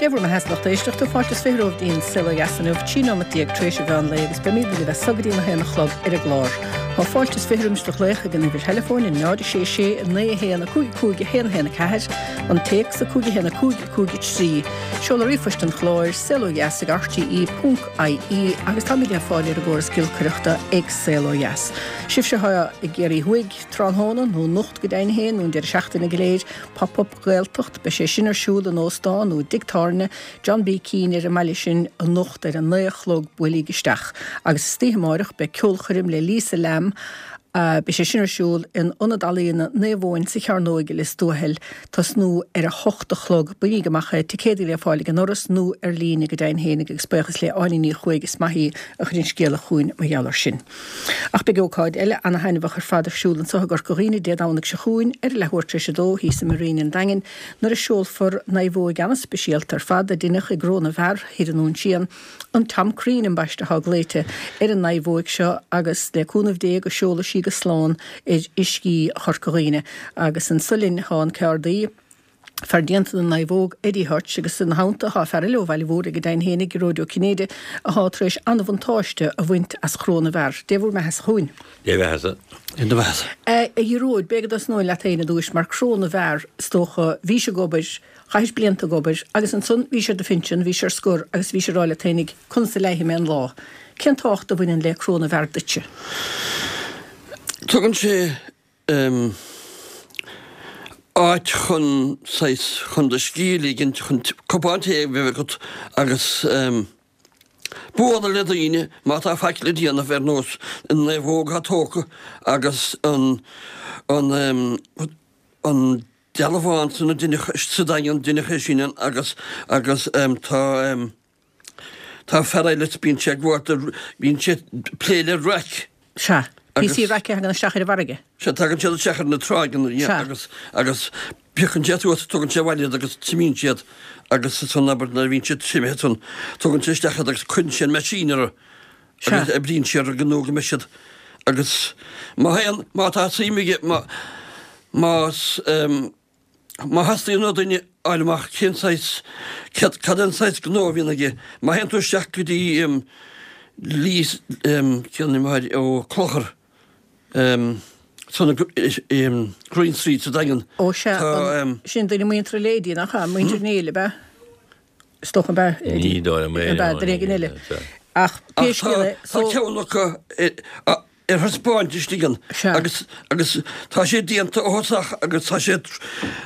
Dé bhur mbeathasa lucht éisteachta, fáilte is 20 romhaibh dtí'n Saol Ó Dheas inniu, 13 nóimeat tar éis an mheán lae agus beimid libh as so go dtí an 1 a chlog ar an gclár. Tá fáilte is 20 roimis do ghlaoch ag an uimhir theileafóin, 0 6 6 9 1 5 5 1 1 4, an téacs 5 1 5 5 3. Seoladh ríomhphoist an chláir, saolodheas ag rte ponc ie agus táimid le fáil ar an gcóras giolcaireachta ag Saol Ó Dheas. Sibhse atá i gCiarraí Thuaidh tráthnóna, nó anocht go deimhin féin, nó an deireadh seachtaine go léir, Pop Up Gaeltacht, beidh sé sin ar siúl in Óstán nó i dtigh tábhairne John B. Keane ar an mbaile sin anocht ar a naoi a chlog, buailíg isteach. Agus istoíche amáireach beidh ceolchoirm le Lisa Lambe, beidh sé sin ar siúl in Ionad Ealaíona Naomh Eoin sa Chearnóig i Lios Tuathail, tosnú ar a hocht a chlog. Bainigí amach é, ticéadaí le fáil ag an ndoras nó ar líne go deimhin fhéinig agus buíochas le Áine Ní Chuaig is maith í a chuir an scéala chugainn mar gheall air sin. Ach beidh ócáid eile ana-thaitneamhach ar fad ar siúl anso i gCorca Dhuibhne Dé Domhnaigh seo chugainn ar a leathuair tar éis a dó thíos i Marina an Daingin nuair a seolfar naomhóig ana-speisialta ar fad a deineadh i gCró na bhFear thoir i nDún Síon, an Tom Crean ambaiste atá glaoite ar an naomhóig seo agus le cúnamh Dé go seolfaidh sí go slán ar uiscí Chorca Dhuibhne. Agus anso linn thá an ceardaí. Fear déanta na naomhóg, Eddie Hutch, agus ina theannta thá fear eile ó Bhaile Mhúraigh go deimhin fhéinig, Gearóid Ó Cinnéide, athá tar éis an-bhuntáiste a bhaint as Chró na bhFear. Dé bhur mbeathasa chugainn. Dé bheathasa. Dé do bheathasa. A Ghearóid, b'fhéidir go dtosnóinn leat féin i dtúis, mar Cró na bhFear, is dócha, bhís ag obair, chaithis blianta ag obair, agus ansan bhís ar do phinsean, bhís ar scor, agus bhís ag rá leat féinig, conas a leigfidh mé an lá? Cén tábhacht a bhaineann le Cró na bhFear duitse? Tugann sé áit chun saghas, chun do scíth a ligint, chun cupán tae a bheith agat agus bualadh le daoine má tá faic le déanamh ar nós an naomhóg atá tógtha agus an, an, an dealbhán san a deineadh sa Daingean, deineadh é sin agus, agus tá. Tá fear eile bíonn sé ag gabháil bíonn sé ag plé le raic. Sea. Píosaí raice a thagann isteach ar an bhfarraige. Sea, tagann siad isteach ar na tráigheanna Sea. agus, agus piocann sé suas, tugann sé abhaile iad agus triomaíonn sé iad agus ansan abair nuair a bhíonn siad triomaithe ansan tugann sé isteach iad agus cuireann sé an machine orthu Sea. agus oibríonn sé orthu nó go mbeidh siad agus má théann, má tá suim aige, má, más, Má theastaíonn ó duine fháil amach cén saghas, cad é an saghas gnó a bhíonn aige, má théann tú isteach go dtí Lios, cén ainm atá air, Ó Clochar, san Green Street sa Daingean, Ó sea, tá. Sin duine muinteartha le Eddie, nach ea? Muintir Néill, ab ea? Is dócha, ab ea, Ní dóigh liom é, ab ea, duine éigin eile. Ach pé scéal é, so. Tá ceann acu ar thaispeáint istigh ann agus agus tá sé déanta ó thosach agus tá sé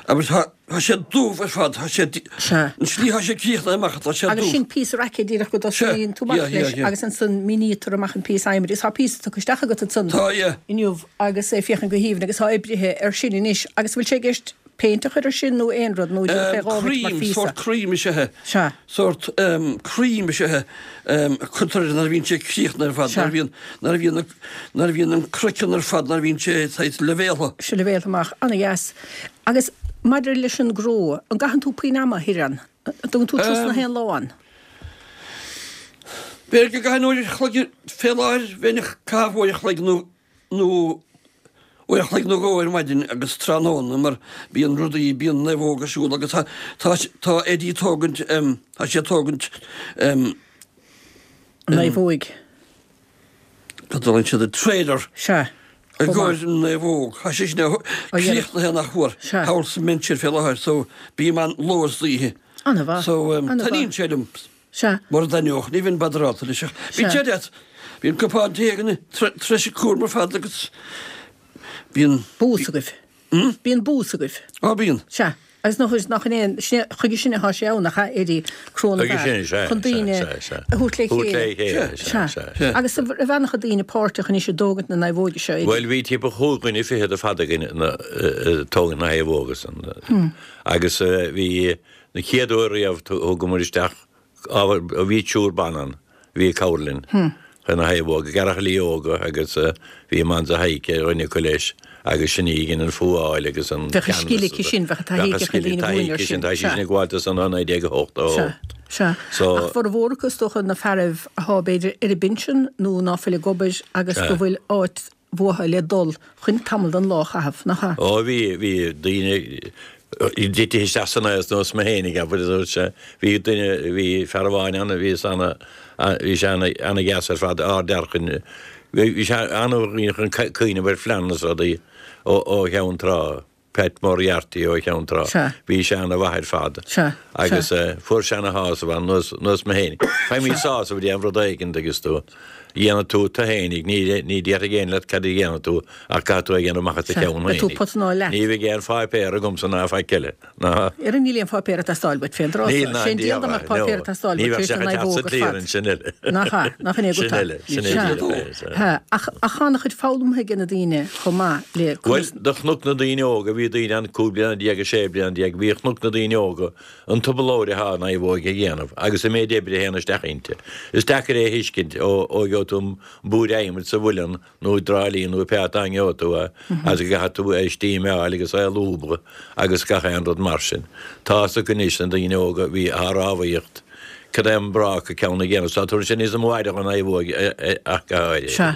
agus tá tá sé dubh ar fad, tá sé an tslí tá sé críochnaithe amach tá sé dubh. Agus sin píosa raice díreach go dtosnaíonn tú amach leis agus ansan mínítear amach an píosa adhmaid agus tá píosa tugtha isteach agat ansan inniu agus é féachaint go haoibhinn agus tá oibrithe air sin anois agus bhfuil sé i gceist péint a chur air sin nó aon rud nó díreach é dhá bhit mar phíosa? Sórt cream is ea é. Sea. Sórt cream is ea é a cuirtear air nuair a bhíonn sé críochnaithe ar fad, nuair a bhíonn, nuair a bhíonn, nuair a bhíonn an craiceann ar fad, nuair a bhíonn sé saghas leibhéaltha. Sé leibhéaltha amach. Ana-dheas. Agus maidir leis an gcró, an gcaitheann tú puinn ama thoir ann? An dtugann tú turas na haon lá ann? B'fhéidir go gcaithfinn uair a chloig fé láthair, bheinn ag caitheamh uair a chloig nó, nó uair a chloig nó dhó ar maidin agus tráthnóna mar bíonn rudaí, bíonn naomhóg ar siúl agus tá, tá, tá Eddie ag tógaint, tá sé ag tógaint. Naomhóig. Cad a dtugann siad air? Trailer. Sea. I gcomhair an naomhóg. Tá sé sin críochnaithe nach fuar. Sea. Thall sa Minster fé láthair so bím ann ló is oíche. Ana-mhaith. So taitníonn sé liom. Sea. Mura dtaitneodh, ní bheinn badarálta leis ach bíonn sé deas. Bíonn cupán tae againn tar éis an cúram ar fad agus bíonn. Bús agaibh. Hmm? Bíonn bús agaibh. Á, bíonn. Sea. Agus nach, nach in aon, sin é, chuige sin atá sé ann, nach ea, Eddie, Cró na Chuige bhFear, sin, sea, chun sea, daoine sea, sea. a thabhairt le Thabhairt le chéile. chéile, sea, Sea. sea, sea. Agus an raibh an-chuid daoine páirteach anois i dtógaint na naomhóige seo, Eddie? Bhuel, bhí timpeall chúig dhuine fichead ar fad againn ina, ag tógaint na naomhóige san. Agus bhí, Na chéad uair riamh thugamar isteach ábhar, bhí triúr ban ann a bhí ag cabhrú linn chun na naomhóga, gearrchailí óga agus bhí Amanza Heike ar dhuine acu leis agus sin í a dhein an fuáil agus an Bheadh a scil aici sin, bheadh a taithí aici chun daoine a mhúineadh air sin. Tá sí sin ag gabháil do san 1988. Sea, sea. Ach formhór acu is dócha na fearaibh athá b'fhéidir ar a bpinsean nó ná fuil ag obair agus go bhfuil áit uathu le dul chun tamall den lá a chaitheamh, nach ea? Ó bhí, bhí daoine. Titithe isteach san aos nós mé fhéinig, abair, a dúirt sé. Bhí duine, bhí fear amháin ann a bhí ana, bhí sé ana, ana-dheas ar fad, ard-fhear chun, bhí sé ana-chun cuimhneamh ar phlean is rudaí ó, ó Cheann Trá, Pat Moriarty ó Cheann Trá. Sea. Bhí sé ana-mhaith ar fad. Sea. Agus fuair sé ana-shásamh ann, nós, nós mé fhéinig. Faighimid sásamh ag déanamh rud éigint agus tú. dhéanfaidh tú tú fhéinig, ní déarfaidh éinne leat cad a dhéanfaidh tú ach caithfidh tú é a dhéanamh amach as do cheann Beidh tú fhéinig. pota ná leat. Ní bheidh aon pháipéar agamsa ná faic eile, ná. Ar níl aon pháipéar ag teastáil uait fén dtráth Níl seo. ná Sé an diabhal dá mbeadh páipéar ag teastáil ní uait bheadh tar éis sé na ag teacht sa naomhóg ar fad. clearance, sin eile. Nach ea? Nach in é Sin agat eile, sin é Sea. díreach é, sea. Sea. Ach, ach tá ana-chuid foghlamtha ag na daoine chomh maith le Bhuel, conas. do chonac na daoine óga, bhí daoine ann 15 bliana, 16 bliana, bhí chonac na daoine óga an trioblóid atá an naomhóig a dhéanamh agus an méid oibre a théann isteach inti. Is deacair é a thuiscint ó ó gheobhaidh tú an búir adhmaid sa mhuileann nó i dTrá Lí nó pé áit a ngeobhaidh tú é agus go gcaithfidh tú é a steameáil agus é a lúbadh agus gach aon rud mar sin. Tá fhios acu anois na daoine óga a bhí á rámhaíocht cad é an bráca ceann a dhéanamh. Tá tabharfaidh sé níos mó aire dhon naomhóig ach go háirithe. Sea,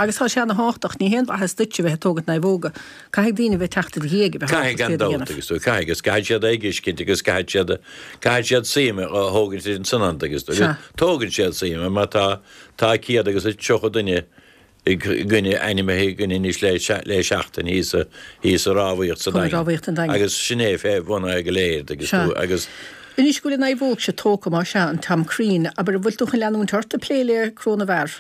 agus tá sé ana thábhachtach, ní haon mhaitheas duit a bheith ag tógaint naomhóga, Caithfidh daoine a bheith ag teacht i do dhiaidh a bheith ábalta iad a gan dabht dhéanamh. agus caithfidh agus caithfidh siad é a fheiscint agus caithfidh siad caithfidh siad suim a thógaint ansan ann agus Sea. tógann siad suim mar tá tá 130 duine againne ainmithe againne anois le le seachtain thíos sa thíos sa rámhaíocht sa Chun Daingean rámhaíocht an Daingin. agus sin é fé bhun é go léir agus Sea. tú agus Anois go bhfuil an naomhóg seo tógtha más ea an Tom Crean, abair an bhfuil tú chun leanúint ort ag plé le Cró na bhFear?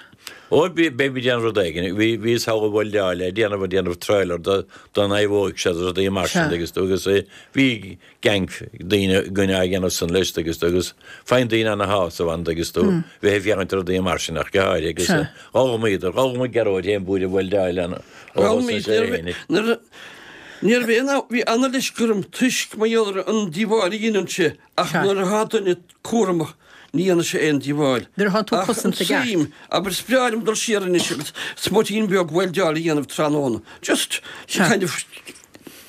Ó, beidh mé ag déanamh rud éigin. Bhí, bhíos thall i Bhulgáiria ag déanamh, ag déanamh trailer do, don naomhóig seo agus rudaí mar sin Sea. agus, agus bhí gang daoine againne á dhéanamh san leis agus, agus faigheann daoine ana-shásamh ann agus tú bheith ag féachaint ar rudaí mar sin ach go háirithe agus Sea. d'fhoghlaimíodar, d'fhoghlaim Gearóid féin búir weildeáil an, ó D'fhoghlaim thosnaigh sé féin. Nuair a, ní raibh aon, bhí ana-leisce orm toisc mar gheall ar an díobháil a dheineann sé ach Sea. nuair atá duine cúramach, ní dhéanfaidh sé aon díobháil. Nuair atá tú Ach an cosanta i gceart. tsuim, abair, is breá liom dul siar anois agus smuitín beag weildeáil a dhéanamh tráthnóna. Just, Sea. kind of.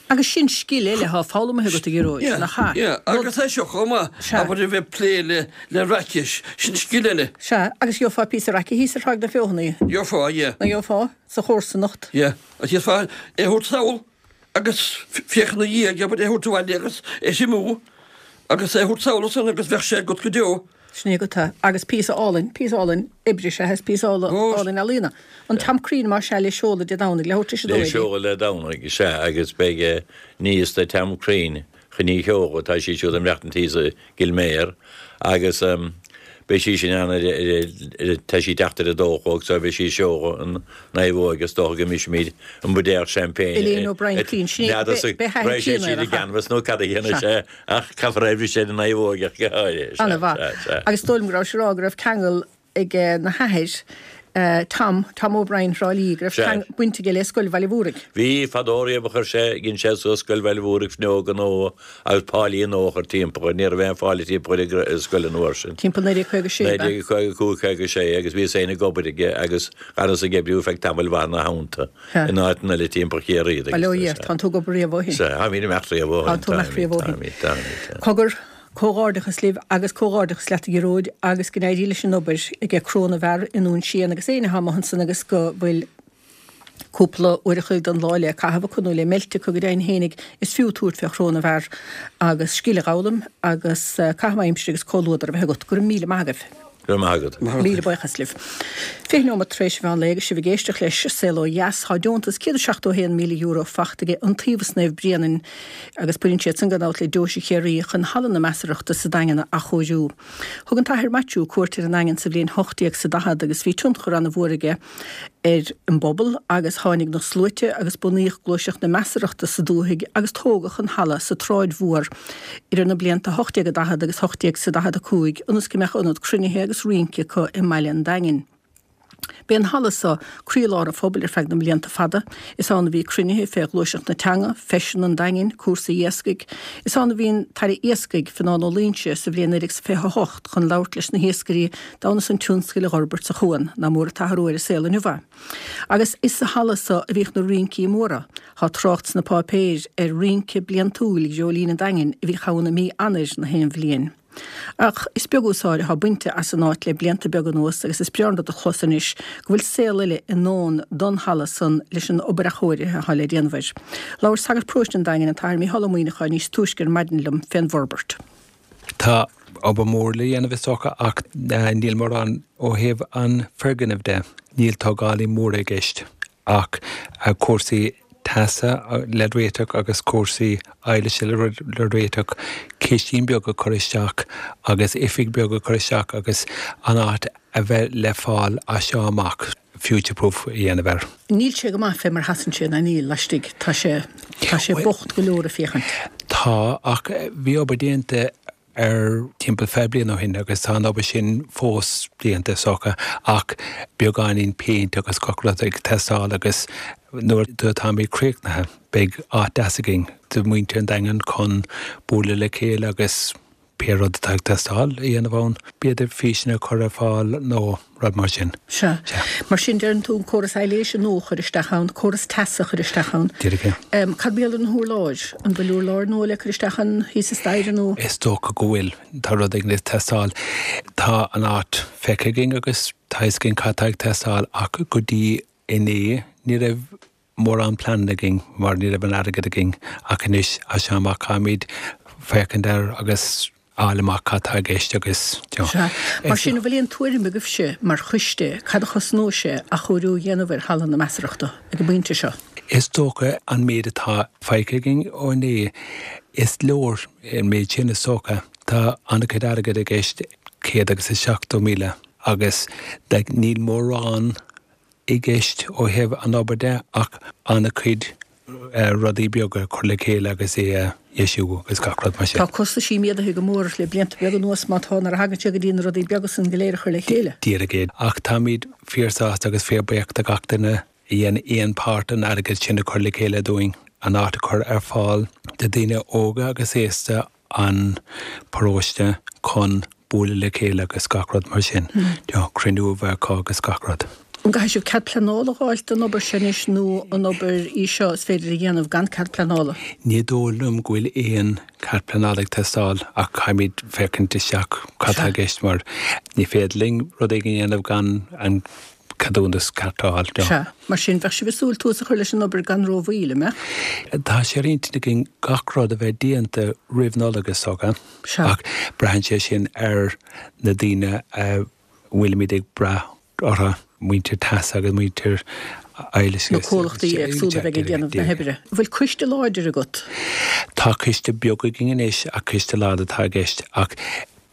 Agus sin scil eile atá foghlamtha agat, a Ghearóid, Yeah, nach ea? yeah, agus é seo chomh maith, Sea. abair, a bheith ag plé le, le raice, sin scil eile. Sea, agus gheofá píosa raice thíos ar Thráigh na Feothanaí. Gheofá, yeah. Nach ngeofá? Sa chomharsanacht. Yeah, agus gheofá é a thabhairt sall. agus féach ina dhiaidh, abair, é a thabhairt abhaile agus é a thriomú agus é a thabhairt sall ansan agus bheadh sé agat go deo. Sin é agat é. Agus píosa álainn, píosa álainn oibre is ea é, is píosa álainn ealaíona. An Tom Crean más ea le seoladh Dé Domhnaigh, le thabhairt leis an Le dóigh é. seoladh Dé Domhnaigh, sea, agus beidh niece de Tom Crean, Ní Sheoighe, tá sí siúd ag maireachtaint thíos i gCill Méar agus beidh sí sin ann ar ar tá sí ag teacht ar a dó a chlog so beidh sí ag seoladh an naomhóig is dócha go mbrisfimid an buidéal champagne Elaine O'Brien Crean, sin é, N'fheadar b'é athair raibh sé Clíona siad ar i a chaith. gceannas nó cad a dhéanfaidh sé ach caithfear é a bhriseadh ar an naomhóig ach go háirithe. Sea, Ana-mhaith. sea, sea. Agus is dóigh liom go raibh sé ag rá go raibh ceangal ag na hathair, Tom, Tom O'Brien Thrá Lí, go raibh Sea. baint aige le Scoil Bhaile Mhúraigh. Bhí, fadó riamh a chuir sé, dhein sé suas Scoil Bhaile Mhúraigh fuinneoga nua agus páilí nua a chur timpeall air, ní raibh aon pháilí timpeall ar an scoil an uair sin. Timpeall 1956, ab ea? 1955, 56 agus bhíos féin ag obair aige agus dh'fhanas ag oibriú feadh tamaill mhaith ina theannta Sea. in áiteanna eile timpeall Chiarraí agus. Bail ó Dhia ort, tánn tú ag obair riamh ó shin. Sea, táimid imeacht riamh ó shin, Tánn tú imeacht riamh ó shin. táimid, táimid, táimid. Cogar, Comhghairdeachas libh agus comhghairdeachas leat a Ghearóid agus go n-éirí leis an obair aige Cró na bhFear i nDún Síon agus éinne atá amuigh ansan agus go bhfuil cúpla uair a chloig den lá le caitheamh acu nó le meilt acu go deimhin fhéinig is fiú tabhairt fé Chró na bhFear agus scil a dh'fhoghlaim agus caitheamh aimsire agus comhluadar a bheith agat. Go raibh míle maith agaibh. Go raibh maith agat. Míle buíochas libh. 20 nóiméad tar éis an mheán lae agus sibh ag éisteacht leis Saol Ó Dheas. Tá deontas €171,000 fachta aige Iontaobhas Naomh Bréanainn agus baineann siad san gan dabht le Deoise Chiarraí chun Halla na Measarthachta sa Daingean a athchóiriú. Thug an tAthair Maitiú cuairt ar an nDaingean sa bhliain 1840 agus bhí tionchar ana-mhór aige ar an bpobal agus tháinig na sluaite agus bunaíodh gluaiseacht na measarthachta sa dúthaigh agus tógadh an halla sa tSráid Mhór idir na blianta 1840 agus 1845 ionas go mbeadh ionad cruinnithe agus rince acu i mbaile an Daingin. B'é an halla so croílár an phobail ar feadh na mblianta fada. Is ann a bhí cruinnithe fé ghluaiseacht na teanga, feiseanna an Daingin, cúrsaí iascaigh. Is ann a bhí an tAire Iascaigh, Fionán Ó Loingsigh, sa bhliain 1928 chun labhairt leis na hiascairí d'fhonn is an tionscail a dh'fhorbairt sa chuan. Nach mór an t-athrú ar an saol inniu é. Agus is sa halla so a bhíodh na rincí móra. Tá trácht sna páipéir ar rince bliantúil Dhreoilín an Daingin a bhíodh ann i mí Eanáir na haon bhliain. Ach is beag úsáid atá bainte as an áit le blianta beaga anuas agus is breá an rud a chlos anois go bhfuil saol eile i ndán don halla san leis an obair athchóirithe atá le déanamh air. Labhair sagart paróiste an Daingin, an tAthair Mícheál Ó Muimhneacháin níos túisce ar maidin liom fén bhforbairt. Tá obair mhór le dhéanamh is dócha ach níl mórán ó thaobh an foirgnimh de. Níl tógálaí móra i gceist ach cúrsaí teasa le réiteach agus cúrsaí ailise le réiteach, cistín beag a chur isteach agus oifig beag a chur isteach agus an áit a bheith le fáil as seo amach, future proof a dhéanamh air. Níl sé go maith fé mar a sheasann sé ná níl, laistigh. Tá sé, tá sé bocht go leor ag féachaint. Tá, ach bhí obair déanta air timpeall 20 bliain ó shin agus tá an obair sin fós déanta is dócha ach beagáinín péint agus gach rud ag teastáil agus nuair atáimid críochnaithe beidh áit deas againn do mhuintir an Daingin chun bualadh le chéile agus pé rud atá ag teastáil a dhéanamh ann, b'fhéidir físeanna a chur ar fáil nó rud mar sin. Sea. Mar sin, deireann tú an córas aibhléise nua a chur isteach ann, córas teasa a chur isteach ann. Díreach é. Cad mar gheall ar na hurláir? An bhfuil urláir nua le cur isteach ann thíos sa staighre nó? Is dócha go bhfuil. Tá rud éigin ag teastáil. Tá an áit feicthe againn agus tá a fhios againn cad tá ag teastáil ach go dtí inné ní raibh mórán pleananna againn mar ní raibh an airgead againn ach anois as seo amach caithfimid féachaint air agus fháil amach cad tá i gceist agus you know. Sea. Mar sin, an bhfuil aon tuairim agaibhse mar choiste cad a chosnóidh sé athchóiriú a dhéanamh ar Halla na Measarachta ag an bpointe seo? Is dócha an méid atá feicthe againn ó inné, is leor an méid sin is dócha. Tá an-chuid airgid i gceist, 170,000, agus like níl mórán i gceist ó thaobh an obair de ach an-chuid rudaí beaga a chur le chéile agus é a dheisiú agus gach rud mar sin. Tá costaisí méadaithe go mór le blianta beaga anuas má tá nuair a thagann sé go dtí na rudaí beaga san go léir a chur le chéile. Díreach é. Ach táimid fíor-sásta agus fíor-bhuíoch de gach duine a dhein aon páirt an airgead sin a chur le chéile dúinn, an áit a chur ar fáil do daoine óga agus aosta an paróiste chun bualadh le chéile agus gach rud mar sin, you know, cruinniú a bheith acu agus gach rud. An gcaithfidh sibh cead pleanála a dh'fháilt don obair seo anois nó an obair í seo is féidir a dhéanamh gan cead pleanála? Ní dóigh liom go bhfuil aon cead pleanála ag teastáil ach caithfimid féachaint isteach cad tá i gceist mar ní féidir linn rud éigin a dhéanamh gan an ceadúnas ceart a fháil. Sea. Mar sin, bheadh sibh ag súil tús a chur leis an obair gan rómhoill, an mbeadh? Tá sé ar intinn againn gach rud a bheith déanta roimh Nollaig is dócha, ach braitheann sé sin ar na daoine a bhfuilimid ag brath orthu, muintir teasa agus muintir ailise. Na comhlachtaí éagsúla a bheidh ag déanamh na hoibre. An bhfuil coiste láidir agat? Tá coiste beag againn anois ach coiste lag atá i gceist ach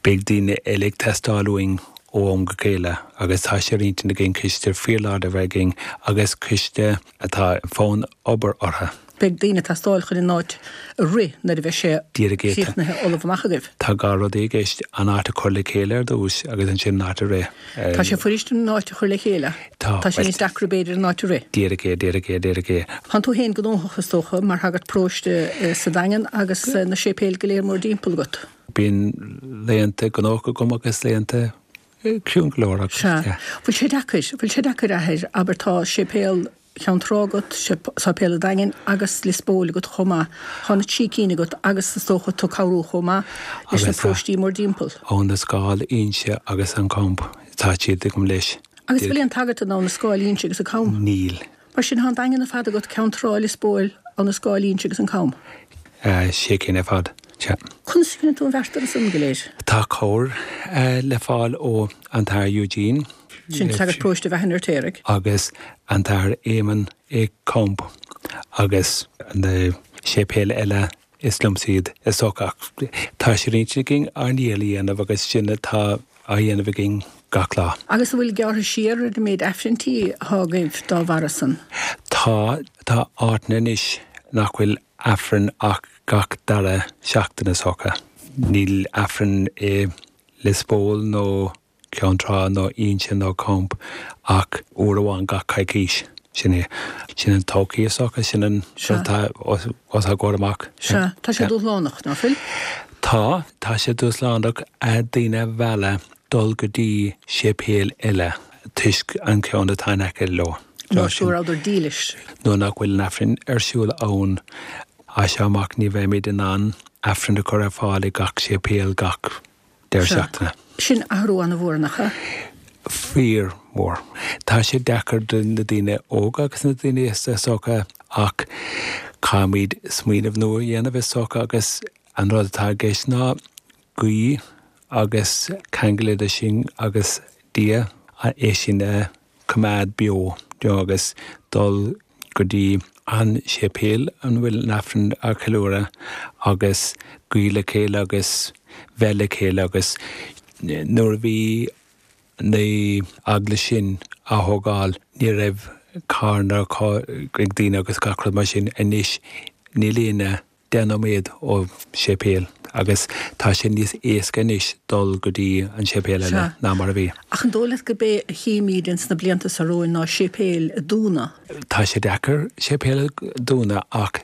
Beidh daoine eile ag teastáil uainn ó am go chéile agus tá sé ar intinn againn coiste fíorláidir a bheith againn agus coiste atá fonn obair orthu. Beidh daoine ag teastáil chun an áit a rith nuair a bheidh sé críochnaithe ullamh amach agaibh. Tá dhá rud i gceist, an áit a chur le chéile ar dtús agus ansin an áit a rith. Tá sé fuirist an áit a chur le chéile. Tá. Tá sé níos deacra b'fhéidir an áit a rith. Díreach é, díreach é, díreach é. Tánn tú féin gnóthach is dócha mar shagart paróiste sa Daingean agus na séipéil go léir mórdtimpeall agat. Bíonn laethanta gnóthach agam agus laethanta ciúin go leor agus, Sea. yeah. Bhfuil sé deacair, bhfuil sé deacair, a Athair, abair tá séipéal Cheann Trá agat, séipéal an Daingin agus Lios Póil agat chomh maith. Tá na trí cinn agat agus is dócha tú ag cabhrú chomh maith leis na paróistí mórdtimpeall. Abhainn na Scáil, Inse agus an Camp, tá siad agam leis. Agus bhfuil aon tsagart in Abha na Scáil, Inse agus an Cam? Níl. Mar sin, tá an Daingean ar fad agat, Ceann Trá, Lios Póil, Abha na Scáil, Inse agus an Cam. Sé cinn ar fad, sea. Conas a dhéanann tú an bheart orthu san go léir? Tá cabhair le fáil ó an tAthair Eugene. Sin sagart paróiste Bheatha an Fheirtéaraigh. Agus an tAthair Éamonn i Camp agus na séipéil eile Is liomsa iad, is dócha, ach tá sé ar intinn againn ár ndícheall a dhéanamh agus sin atá á dhéanamh againn gach lá. Agus an bhfuil gearrtha siar ar an méid Aifrinntí atá agaibh dá bharra san? Tá. Tá áiteanna anois nach bhfuil Aifreann ach gach dara seachtain, is dócha. Níl Aifreann i Lios Póil nó Ceann Trá nó Inse nó Camp ach uair amháin gach coicís. Sin é. Sin an todhchaí is dócha, sin an rud atá os ár gcomhair amach. Sea. Tá sé dúshlánach, ná fuil? Tá. Tá sé dúshlánach daoine a mhealladh dul go dtí séipéal eile toisc an ceann atá in aice leo. Nó go rabhadar dílis. Nó nach bhfuil an Aifreann ar siúl ann. As seo amach ní bheimid in ann Aifreann a chur ar fáil i gach séipéal gach. Deireadh seachtaine. Sin athrú an-mhór, nach ea? Fíor mhór. Tá sé deacair do na daoine óga agus na daoine aosta is dócha ach caithfimid smaoineamh nua a dhéanamh is dócha agus an rud atá i gceist ná guí agus ceangal idir sinn agus Dia, é sin a choimeád beo agus dul go dtí an séipéal ina bhfuil an Aifreann á cheiliúradh agus guí le chéile agus bheith le chéile agus nuair a bhí na eaglais sin á thógáil ní raibh carranna ag daoine agus gach rud mar sin anois níl éinne 10 nóiméad ó séipéal agus tá sé níos éasca anois dul go dtí an séipéal eile ná mar a bhí. Ach an dóigh leat gurb é a chímíd ins na blianta seo romhainn ná séipéil a dúnadh? Tá sé deacair séipéal a dúnadh ach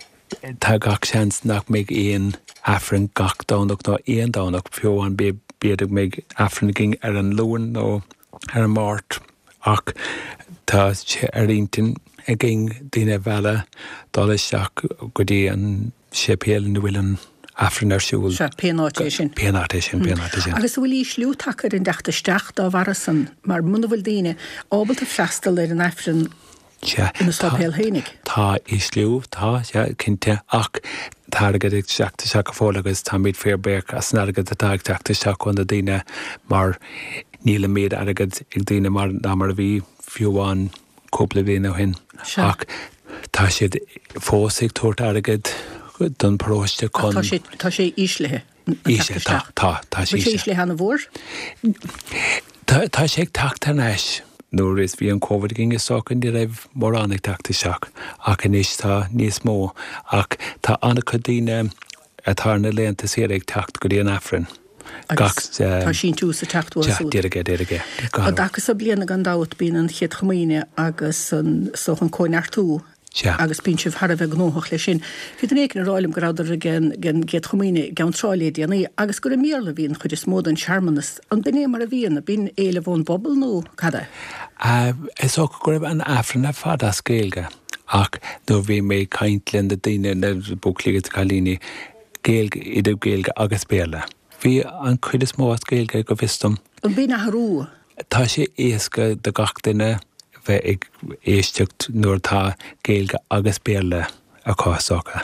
tá gach seans nach mbeidh aon Aifreann gach Domhnach nó aon Domhnach, fiú amháin b'fhéidir go mbeidh Aifreann againn ar an Luan nó ar an Máirt ach tá sé ar intinn againn daoine a mhealladh dul isteach go dtí an séipéal ina bhfuil an Aifreann ar siúl. Sea, pén áit é sin. Pén áit é sin, pén áit é sin. Agus an bhfuil ísliú tagtha ar an dteacht isteach dá bharra san, mar muna bhfuil daoine ábalta freastal ar an Aifreann Sea, ina sáipéal fhéinig? Tá ísliú, tá, sea, cinnte, ach tá airgead ag teacht isteach go fóill agus táimid fíor buíoch as an airgead atá ag teacht isteach ó na daoine mar níl an méid airgid ag daoine mar ná mar a bhí fiú amháin cúpla bliain ó shin. Sea. Ach tá siad fós ag tabhairt airgead don paróiste chun. Ach tá sé, tá sé íslithe. Íslithe, tá, tá, tá sé íslithe. Íslithe ana-mhór? Tá, tá sé ag teacht thar n-ais. Nuair is bhí an Covid againn is dócha ní raibh mórán ag teacht isteach ach anois tá níos mó ach tá an-chuid daoine atá ar na laethanta saoire ag teacht go dtí an Aifreann gach. Agus tá síntiús ag teacht uathu siúd. Díreach é, díreach é. An dtaca so bliana gan dabht bíonn an Chéad Chomaoine agus an, is dócha an Cóineartú. Sea. Agus bíonn sibh thar a bheith gnóthach leis sin. Bhí duine éicint ag rá liom go rabhadar ag an gCéad Chomaoine i gCeann Trá le déanaí agus gur i mBéarla a bhí an chuid is mó den searmanas. An b'in é mar a bhíonn? An b'in éileamh ón bpobal nó cad é? Is dócha go raibh an Aifreann ar fad as Gaeilge ach nuair a bhí mé ag caint le na daoine, na buachaillí agus na cailíní, Gaeilge, idir Gaeilge agus Béarla. Bhí an chuid is mó as Gaeilge go bhfios dom. An b'in athrú? Tá sé éasca do gach duine bheith ag éisteacht nuair atá Gaeilge agus Béarla acu is dócha.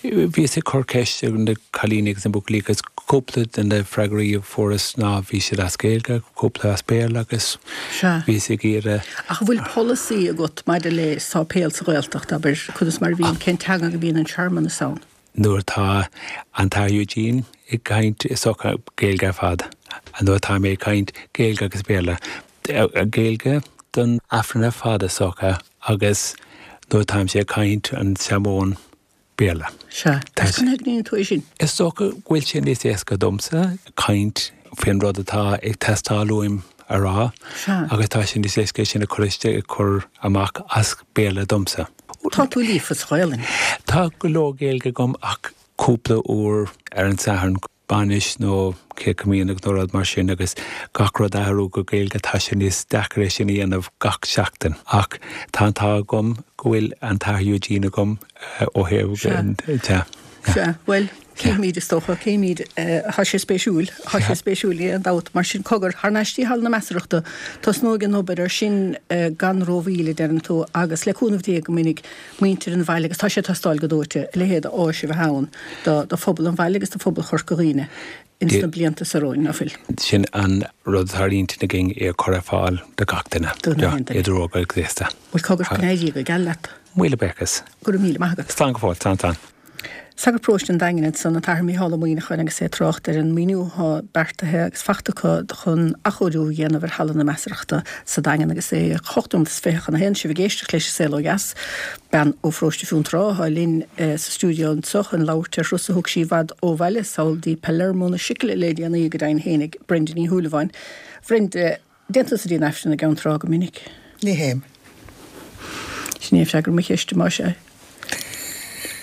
Bhíos ag cur ceist ar na cailíní agus na buachaillí agus cúpla de na freagraí a fuaireas ná bhí siad as Gaeilge, cúpla as Béarla agus bhíos ag iarraidh. Ach an bhfuil polasaí agat maidir le sáipéal sa Ghaeltacht, abair, conas mar a bhíonn, cén teanga a bhíonn an searmanas ann? Nuair atá an tAthair Eugene ag caint is dócha Gaeilge ar fad. Nuair atá mé ag caint, Gaeilge agus Béarla. Gaeilge don Aifreann ar fad is dócha agus nuair atáimse ag caint an searmóin, Béarla. Sea. Agus conas a ghníonn tú é sin? Is dócha go bhfuil sé níos éasca domsa caint faoin rud atá ag teastáil uaim a rá agus tá sé níos éasca é sin a chur isteach, a chur amach as Béarla domsa. Tá tú líofa sa Ghaelainn. Tá go leor Gaeilge agam ach cúpla uair ar an Satharn, bainis nó Céad Comaoineach nó rud mar sin agus gach rud a athrú go Gaeilge tá sé níos deacair é sin a dhéanamh gach seachtain. Ach tá an t-ádh agam go bhfuil an tAthair Eugene agam ó thaobh Sea. Sea. Bhuel, cífimid is dócha, cífimid. Tá sé spéisiúil, tá sé spéisiúil, níl aon dabht. Mar sin, cogar, thar n-ais dtí Halla na Measarachta, tosnóidh an obair ar sin gan rómhoill, a deireann tú, agus le cúnamh Dé go mbainfidh muintir an bhaile, agus tá sé ag teastáil go dóite, a leithéid d'áis a bheith ann do phobal an bhaile agus do phobal Chorca Dhuibhne ins na blianta seo romhainn, ná fuil? Sin an rud atá ar intinn againn, é a chur ar fáil do gach duine, idir óg agus aosta. Bhuel, cogar, go n-éirí go geal leat. Míle buíochas. Go raibh míle maith agat. Slán go fóill, slán, slán. Sagart Paróiste an Daingin ansan, an tAthair Mícheál Ó Muíneacháin agus é ag trácht ar an maoiniú atá beartaithe agus fachta acu chun athchóiriú a dhéanamh ar Halla na Measarachta sa Daingean agus é 8 nóiméad is 20 chun a haon. Sibh ag éisteacht leis An Saol Ó Dheas. Bean ó Pharóiste Fionntrá atá linn sa stiúideo anseo chun labhairt ar thuras a thug sí i bhfad ó bhaile, sall dtí Palermo na Sicile le déanaí, go deimhin fhéinig, Brenda Ní Shúilleabháin. Bhrenda, Dtéann tusa dtí an Aifreann i gCeann Trá go minic? Ní théim. Sin é freagra mo cheiste, más ea.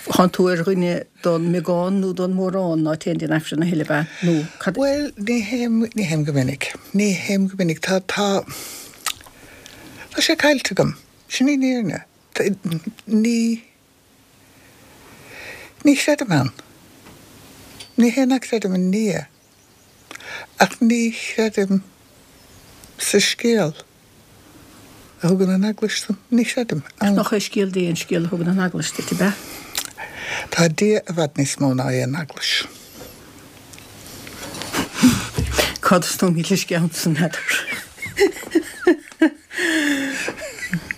Thánn tú ar dhuine don mbeagán nó don mórán ná téann dtí an Aifreann a thuilleadh, ab ea? Nó cad. Bhuel, ní théim, ní théim go minic. Ní théim go minic. Tá, tá, tá sé caillte agam. Sin í an fhírinne. Ní, ní chreidim ann. Ní hé nach gcreidim i nDia. Ach ní chreidim sa scéal a thugann an Eaglais dom. Ní chreidim ann. Nach é scéal Dé an scéal a thugann an Eaglais duit, ab ea? Tá Dia i bhfad níos mó ná aon eaglais. Cá dtosnóimid leis an gceann san, n'fheadar.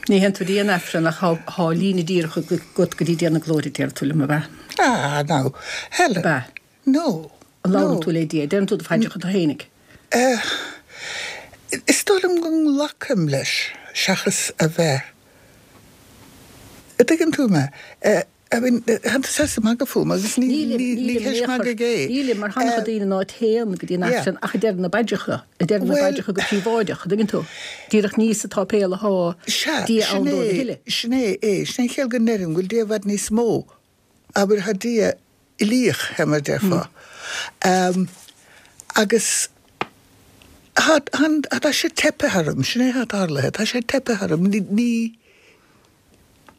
Ní théann tú dtí an Aifreann ach tá líne díreach agat go dtí Dia na Glóire, deir tú liom, ab ea? Ah, now, Helen. Ab ea? No. An labhrann tú le Dia? Deireann tú do phaidreacha tú fhéinig? Eh, is dóigh liom go nglacaim leis seachas a bheith, a' dtuigeann tú mé? Eh, I mean, tánn tú saghas ag magadh fúm agus ní, Nílim, ní, ní nílim in ceist aon chor. magaidh é. Nílim, mar tá an-chuid daoine ná téann go dtí an Yeah. Aifreann ach ag deireadh na bpaidreacha, ag deireadh na Bhuel, bpaidreacha go príobháideach, a' dtuigeann tú? Díreach ní sa tsáipéal athá sea, Dia sin ann dóibh a é, thuilleadh. sin é é, sin é an chiall go ndeirim go bhfuil Dia i bhfad níos mó, abair, tá Dia uilíoch, fé mar a déarfá. Agus tá, tá sé teipthe orm, sin é atá tarlaithe, tá sé teipthe orm, ní,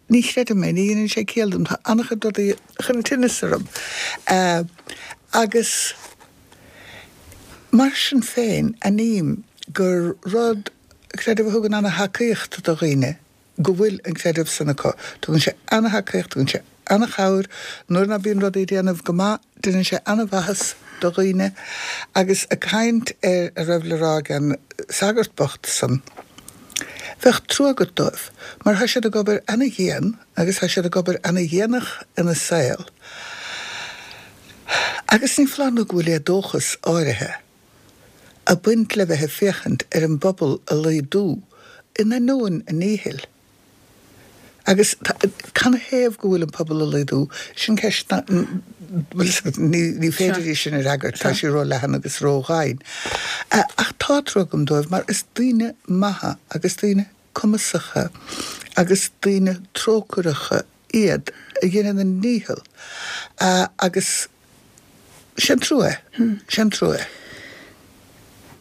ní chreidim é, ní dhéanann sé ciall dom, tá an-chuid rudaí a chuireann tinneas orm. Agus mar sin féin, aithním gur rud, creideamh a thugann an-thacaíocht do dhaoine, go bhfuil an creideamh san acu. Tugann sé ana-thacaíocht, tugann sé ana-chabhair nuair ná bíonn rudaí ag déanamh go maith, déanann sé ana-mhaitheas do dhaoine. Agus ag caint ar a raibh le rá ag an sagart bocht san, bheadh trua agat dóibh, mar tá siad ag obair ana-dhian agus tá siad ag obair ana-dhéanach ina saol agus ní foláir nó go bhfuil éadóchas áirithe ag baint le bheith ag féachaint ar an bpobal ag laghdú in ainneoin a ndíchill. Agus canathaobh go bhfuil an pobal ag laghdú, sin ceist ná, bhfuil fhios agat, ní féidir í sin a fhreagairt, tá sí ró-leathan agus ró-dhoimhin. Ach tá trua agam dóibh mar is daoine maithe agus daoine cumasacha agus daoine trócaireacha iad a dheineann a ndícheall agus Sé an trua é. Sé an trua é.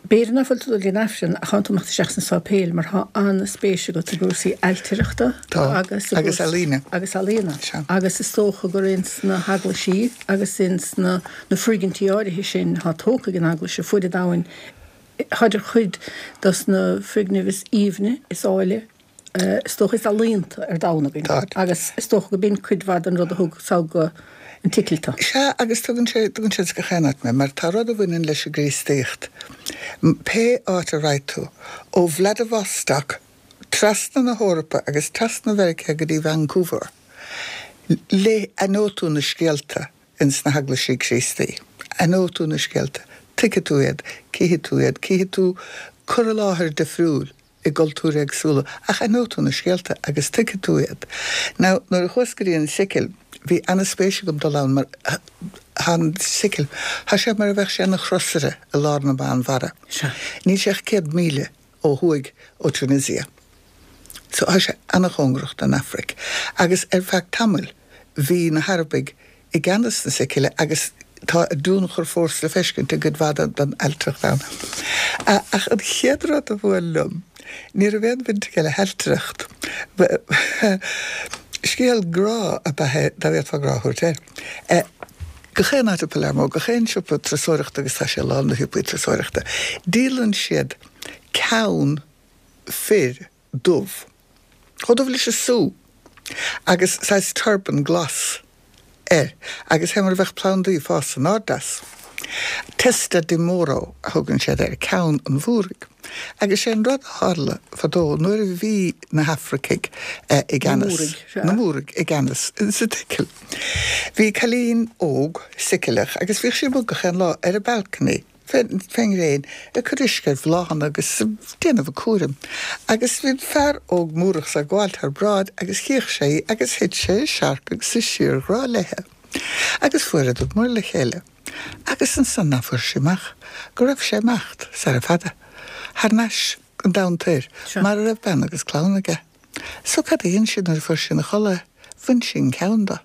B'fhéidir ná fuil tú ag dul dtí an Aifreann ach tánn tú ag imeacht isteach sna sáipéil mar tá an-spéis agat i gcúrsaí ailtireachta Tá. agus i Agus gcúrsaí ealaíne. agus ealaíona. Sea. Agus is dócha gur ins na heaglaisí agus ins na na foirgintí áirithe sin atá tógtha ag an Eaglais ar fuaid an domhain, táid ar chuid dos na foirgnimh is aoibhne, is áille, is dócha, is ealaíonta ar domhan againn. Tá. Agus is dócha go b'in cuid mhaith den rud a thug sall go an tSicil tú. Sea, agus tugann sé, tugann sé gach aon áit mé, mar tá rud a bhaineann leis an gCríostaíocht. Pé áit a raghaidh tú, ó Vladivostok trasna na hEorpa agus trasna Mheiriceá go dtí Vancouver, léigh, aithneoidh tú na scéalta ins na heaglaisí Críostaí. Aithneoidh tú na scéalta, tuigfidh tú iad, cífidh tú iad, cífidh tú cur i láthair difriúil i gcultúir éagsúla, ach aithneoidh tú na scéalta agus tuigfidh tú iad. Now, nuair a chuas go dtí an tSicil, bhí ana-spéis agam dul ann mar tá an tSicil, tá sé mar a bheadh sé ina chrosaire i lár na Meánmhara. Níl sé ach 100 míle ó thuaidh ó Tunisia. So tá sé ana-chóngarach don Afraic. Agus ar feadh tamaill bhí na hArabaigh i gceannas na Sicile agus tá a dtionchar fós le feiscint i gcuid mhaith den ailtireacht ann. Ach an chéad rud a bhuail liom, ní raibh aon bhaint aige le hailtireacht. Scéal grá ab ea é, dá bhféadfá grá a thabhairt air. Gach aon áit i Palermo, gach aon siopa turasóireachta, agus tá sé lán de shiopaí turasóireachta, díolann siad ceann fir dubh. Chomh dubh leis an sú. Agus saghas turban glas air. Agus fé mar a bheadh plandaí ag fás in airde as. Testa di Moro a thugann siad air, ceann an Mhúraigh. Agus sé an rud a tharla fadó nuair a bhí na hAfracaigh i gceannas, na Múraigh i gceannas sa tSicil. Bhí cailín óg Sicileach agus bhíodh sí amuigh gach aon lá ar an balcony. fén ngréin, ag cur uisce ar bhláthanna agus ag déanamh a cúraim. Agus bhí an fear óg Múrach so ag gabháil thar bráid agus chíodh sé í agus thit sé i searc agus i síorghrá léithe. Agus fuaireadar muir le chéile. Agus ansan ná fuair sí amach go raibh sé imeacht, sara fada, thar n-ais an domhan toir, mar a raibh bean agus clann aige. So cad a dhein sí nuair a fuair sí 'na chodladh é? Bhain sí an ceann do.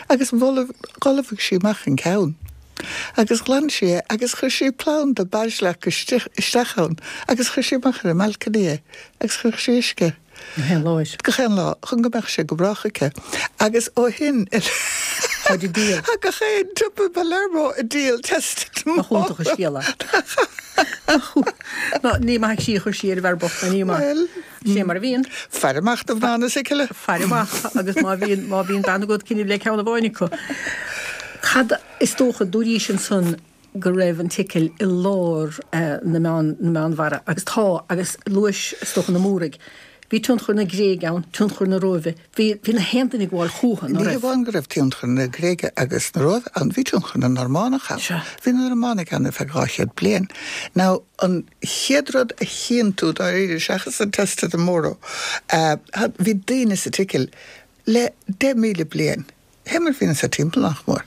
Agus dhoilbhigh sí amach an ceann. Agus ghlan sí é agus chuir sí planda baisleac isteach ann agus chuir sí amach ar an mbalcony é agus chuir sí uisce air. Gach aon lá air. Gach aon lá, chun go mbeadh sé go brách aici. Agus ó shin i leith. Táid ag díol. Tá gach aon tsiopa i Palermo ag díol Testa di Nach Moro. iontach an scéal é. Ná, ní maith sí a chuir sí ar an bhfear bocht, ná ní maith. Bhuel. Sin é mar a bhíonn. Faire amach do mhná na Sicile. Faire amach agus má bhíonn, má bhíonn bean agat cuimhnigh le ceann amháin acu. Cad is dócha, dúraís ansan go raibh an tSicil i lár na Meán, na Meánmhara agus tá, agus luais is dócha na Múraigh. Bhí tionchar na Gréige ann, tionchar na Róimhe, bhí, bhí na haon duine ag gabháil chúthu, ná Ní raibh? hamháin go raibh tionchar na Gréige agus na Róimhe ann, bhí tionchar na Normánach ann. Sea. Bhí na Normánaigh ann ar feadh 200 bliain. Now, an chéad rud a chíonn tú dáiríre, seachas an Testa di Moro, bhí daoine sa tSicil le 10,000 bliain. Fé mar a bhíonn anso timpeall, nach mór.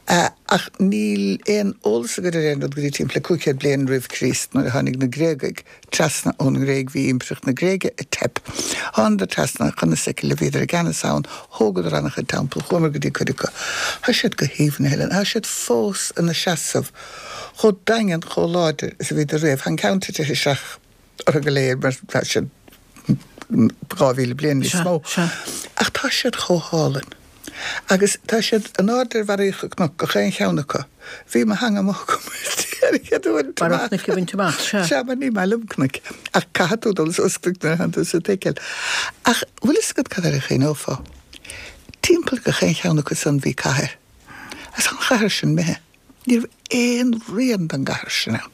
Ach níl aon eolas againn ar aon rud go dtí timpeall le 500 bliain roimh Chríost nuair a tháinig na Gréagaigh trasna ón nGréig, bhí Impireacht na Gréige ag teip. Thánadar trasna chun na Sicile, bhíodar i gceannas ann, thógadar an-chuid teampall, chuamar go dtí cuid acu. Tá siad go haoibhinn, a Helen, tá siad fós ina seasamh chomh daingean, chomh láidir is a bhíodar riamh. Tá an ceann tite isteach orthu go léir mar tá siad 2,000 bliain níos mó. Ach tá siad chomh hálainn. Agus tá siad in airde ar bharraíocht cnoc, gach aon cheann acu. Bhí mo theanga amuigh agam ar an chéad uair Barra chnoic a bhaint amach, sea. Sea, mar ní maith liom cnoic. Ach caithfidh tú dul suas cnoic nuair a thánn tú sa tSicil. Ach bhfuil fhios agat cad air a chuimhneofá? Timpeall gach aon cheann acu san bhí cathair. Agus tá an chathair sin imithe. Ní raibh aon rian den gcathair sin ann.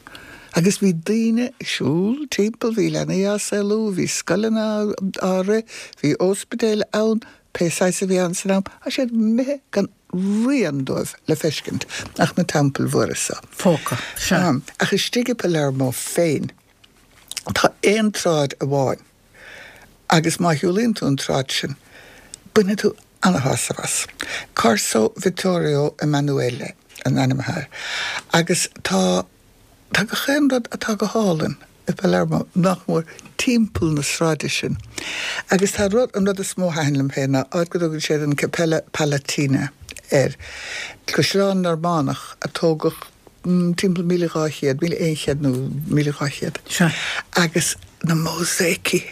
Agus bhí daoine ag siúl timpeall, bhí leanaí á saolú, bhí scoileanna á rith, bhí óspidéil ann, pé saghas a bhí ann san am. Tá siad imithe gan rian dóibh le feiscint ach na teampaill mhóra so. Fágtha, sea. Ach istigh i Palermo féin, tá aon tsráid amháin agus má shiúlaíonn tú an tsráid sin, bainfidh tú ana-shásamh as. Corso Vittorio Emanuele an ainm atá air. Agus tá, tá gach aon rud atá go hálainn i Palermo, nach mór, timpeall na sráide sin. Agus tá rud, an rud is mó a thaitin liom féin ná áit go dtugann siad an Cappella Palatina air. Caisleán Normánach a tógadh timpeall 1200, 1100 nó 1200. Sea. Agus na mósáicí.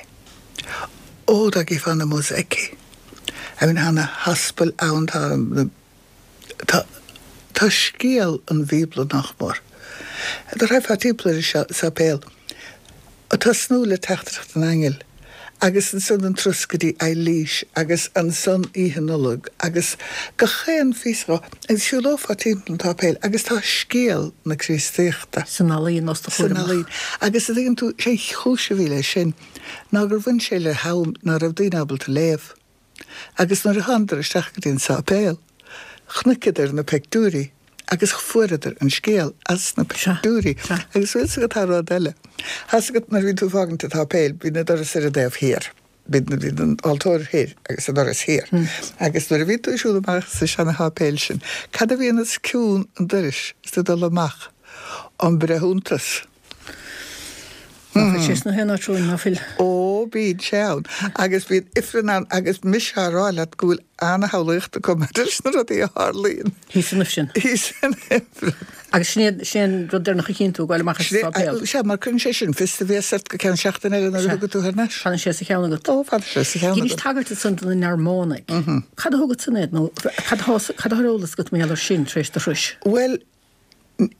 Ó, dá gcífeá na mósáicí. I mean, tá na haspail ann, tá na, tá, tá scéal an Bhíobla nach mór. Dá raghfá timpeall ar an sáipéal, ag tosnú le teachtaireacht an aingil agus ansan an turas go dtí Eilís agus ansan Oíche Nollag agus gach aon phíosa dhó agus shiúlófá timpeall an tsáipéil agus tá scéal na Críostaíochta. San ealaín os do San chomhair amach. ealaín. Agus a dtuigeann tú, sé an chúis a bhí leis sin ná gur bhain sé le ham ná raibh daoine ábalta léamh. Agus nuair a thánadar isteach go dtí an sáipéal, chonaiceadar na peictiúirí agus fuaireadar an scéal as na peictiúirí. Agus bhfuil 'fhios agat tá rud eile. Tá 'fhios agat nuair a bhíonn tú ag fágaint an tsáipéil, bíonn an doras ar an dtaobh thiar. Bíonn an altóir thoir agus an doras thiar. Agus nuair a bhíonn tú ag siúl amach sa seana-sháipéal sin, cad a bhíonn os cionn an dorais is tú ag dul amach? An breithiúntas. Ná fuil sé sna haon áit romhainn, ná fuil? Ó, bíonn sé ann. Agus bíonn ifreann ann agus mise á rá leat go bhfuil ana-shamhlaíocht acu maidir leis na rudaí a tharlaíonn. Thíos san ifreann. Thíos san ifreann. Agus sin é, sin é an rud deireanach a chíonn tú ag goil amach as an sáipéal. Sea, mar cuireann sé sin fios do bhéasa ort go ceann seachtaine eile nuair a thiocfaidh tú thar n-ais. Fanann sé sa cheann agat. Ó, fanann sé sa cheann agat. Dheinis tagairt ansan do na Normánaigh. Cad a thug san iad nó cad atá, cad atá ar eolas agat mar gheall air sin tar éis do thurais? Bhuel,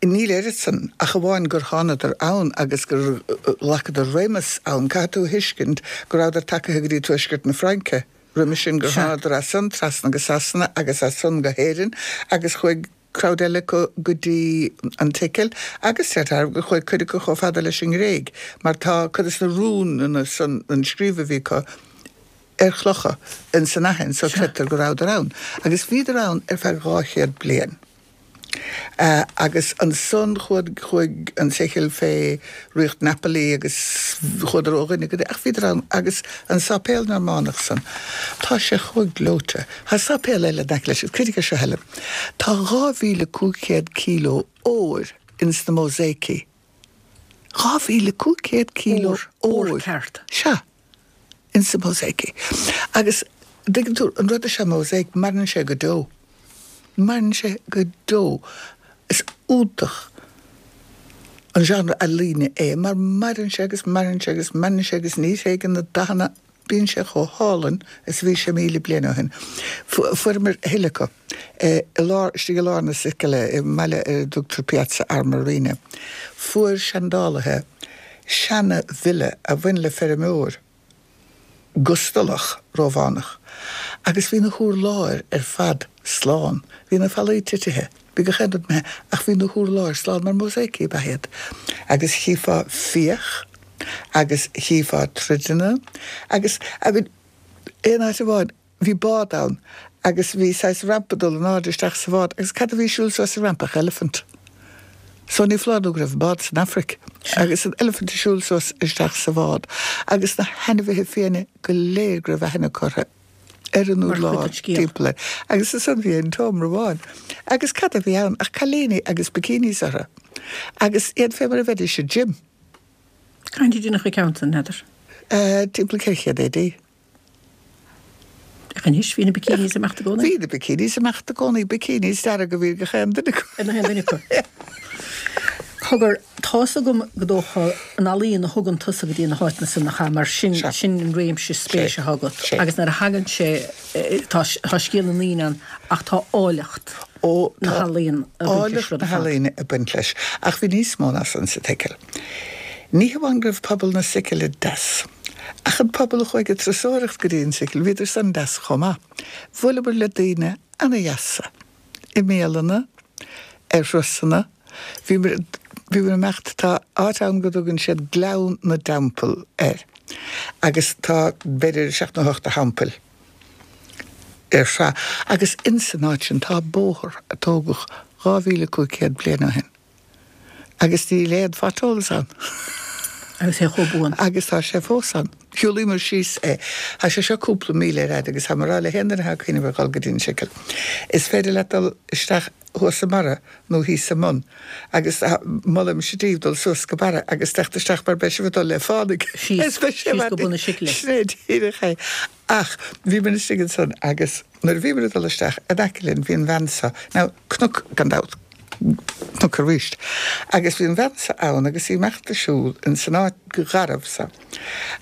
Níl oiread san, ach amháin gur thánadar ann agus gur ghlacadar réimeas ann. Caithfidh tú a thuiscint go rabhadar tagaithe go dtí tuaisceart na Fraince roimis sin, gur thánadar as san trasna go Sasana agus as san go hÉirinn agus chuaigh crowd eile acu go dtí an tSicil agus deirtear gur chuaigh cuid acu chomh fada leis an nGréig mar tá cuid de na rúnanna san, an scríobh a bhí acu, ar chlocha ins an Aithin so creidtear go rabhadar ann. Agus bhíodar ann ar feadh 200 bliain. Agus ansan chuaigh an tSicil fé ríocht Napoli agus chuadar ó dhuine go duine, ach bhíodar ann agus an sáipéal Normánach san, tá sé chomh gleoite. Tá sáipéal eile in aice leis, agus cuimhnigh air seo, Helen, tá 2,500 kíló óir ins na mósáicí. 2,500 kíló óir. Ór ceart. Sea. Ins na mósáicí. Agus, dtuigeann tú, an rud is ea mósáic, maireann sé go deo. Maireann sé go deo. Is iontach an genre ealaíne é mar maireann sé agus maireann sé agus maireann sé agus ní thréigeann na dathanna, bíonn sé chomh hálainn is a bhí sé 1,000 bliain ó shin. Fuaireamar a thuilleadh acu. I lár, istigh i lár na Sicile, i mbaile ar a dtugtar Piazza Armerina, fuair seandálaithe seana-villa a bhain le feirmeoir gustalach Rómhánach agus bhí na hurláir ar fad slán. Bhí na fallaí titithe, bhí gach aon rud imithe ach bhí na hurláir slán mar mósáicí ab ea iad. Agus chífeá fiach agus chífeá troideanna agus, I mean, aon áit amháin, Bhí bád ann agus bhí saghas rampa dul in airde isteach sa bhád agus cad a bhí ag siúl suas an rampa ach eilifint. So ní foláir nó go raibh an bád san Afraic agus an eilifint ag siúl suas isteach sa bhád agus na hainmhithe fiaine go léir go raibh aithne acu orthu ar an urlár timpeall air. Agus ansan bhí an seomra amháin agus cad a bhí ann ach cailíní agus bikinis orthu agus iad fé mar a bheidís i gym. Cathain a deineadh an ceann san, n'fheadar? Timpeall 400 AD. Ach anois, bhí na bikinis ag imeacht i gcónaí. Bhí na bikinis ag imeacht i gcónaí, bikinis dearga a bhí ar gach aon duine acu. Ar gach aon duine acu. Cogar, tá's agam go dócha an ealaíon a thugann tusa go dtí na háiteanna san nach ea, mar sin, sin an réimse spéise atá agat. Agus nuair a thagann sé, tá, tá scéal na ndaoine ann ach tá áilleacht na healaíon ag baint leis rud ar fad. Áilleacht na healaíne ag baint leis. Ach bhí níos mó ná san sa tSicil. Ní hamháin go raibh pobal na Sicile deas, Ach an pobal a chuaigh ag turasóireacht go dtí an tSicil, bhíodar san deas chomh maith. Bhuaileamar le daoine ana-dheasa i mbialanna, ar thurasanna. Bhíomar, bhíomar ag imeacht, tá áit ann go dtugann siad Gleann na dTeampall air agus tá b'fhéidir seacht nó hocht de theampaill ar shraith agus ins an áit sin tá bóthar a tógadh 2,500 bliain ó shin. Agus níl aon potholes ann. Agus é chomh buan. Agus tá sé fós ann. Shiúlaíomar síos é. Tá sé seo cúpla míle ar fhad agus tá mé ag rá le haon duine atá ag cuimhneamh ar dhul go dtí an tSicil, is féidir leat dul isteach thuas i mBarra nó thíos i mBun agus molaimse daoibh dul suas go Barra agus teacht isteach mar beidh sibh ag dul le fánaidh. Síos, síos go bun na Sicile. Sin é díreach é. Ach bhíomar istigh ansan agus nuair a bhíomar ag dul isteach, in aice linn bhí an bhean seo, now cnoc gan dabht, cnoc arís, agus bhí an bhean seo ann agus í ag imeacht ag siúl ins an áit gharbh seo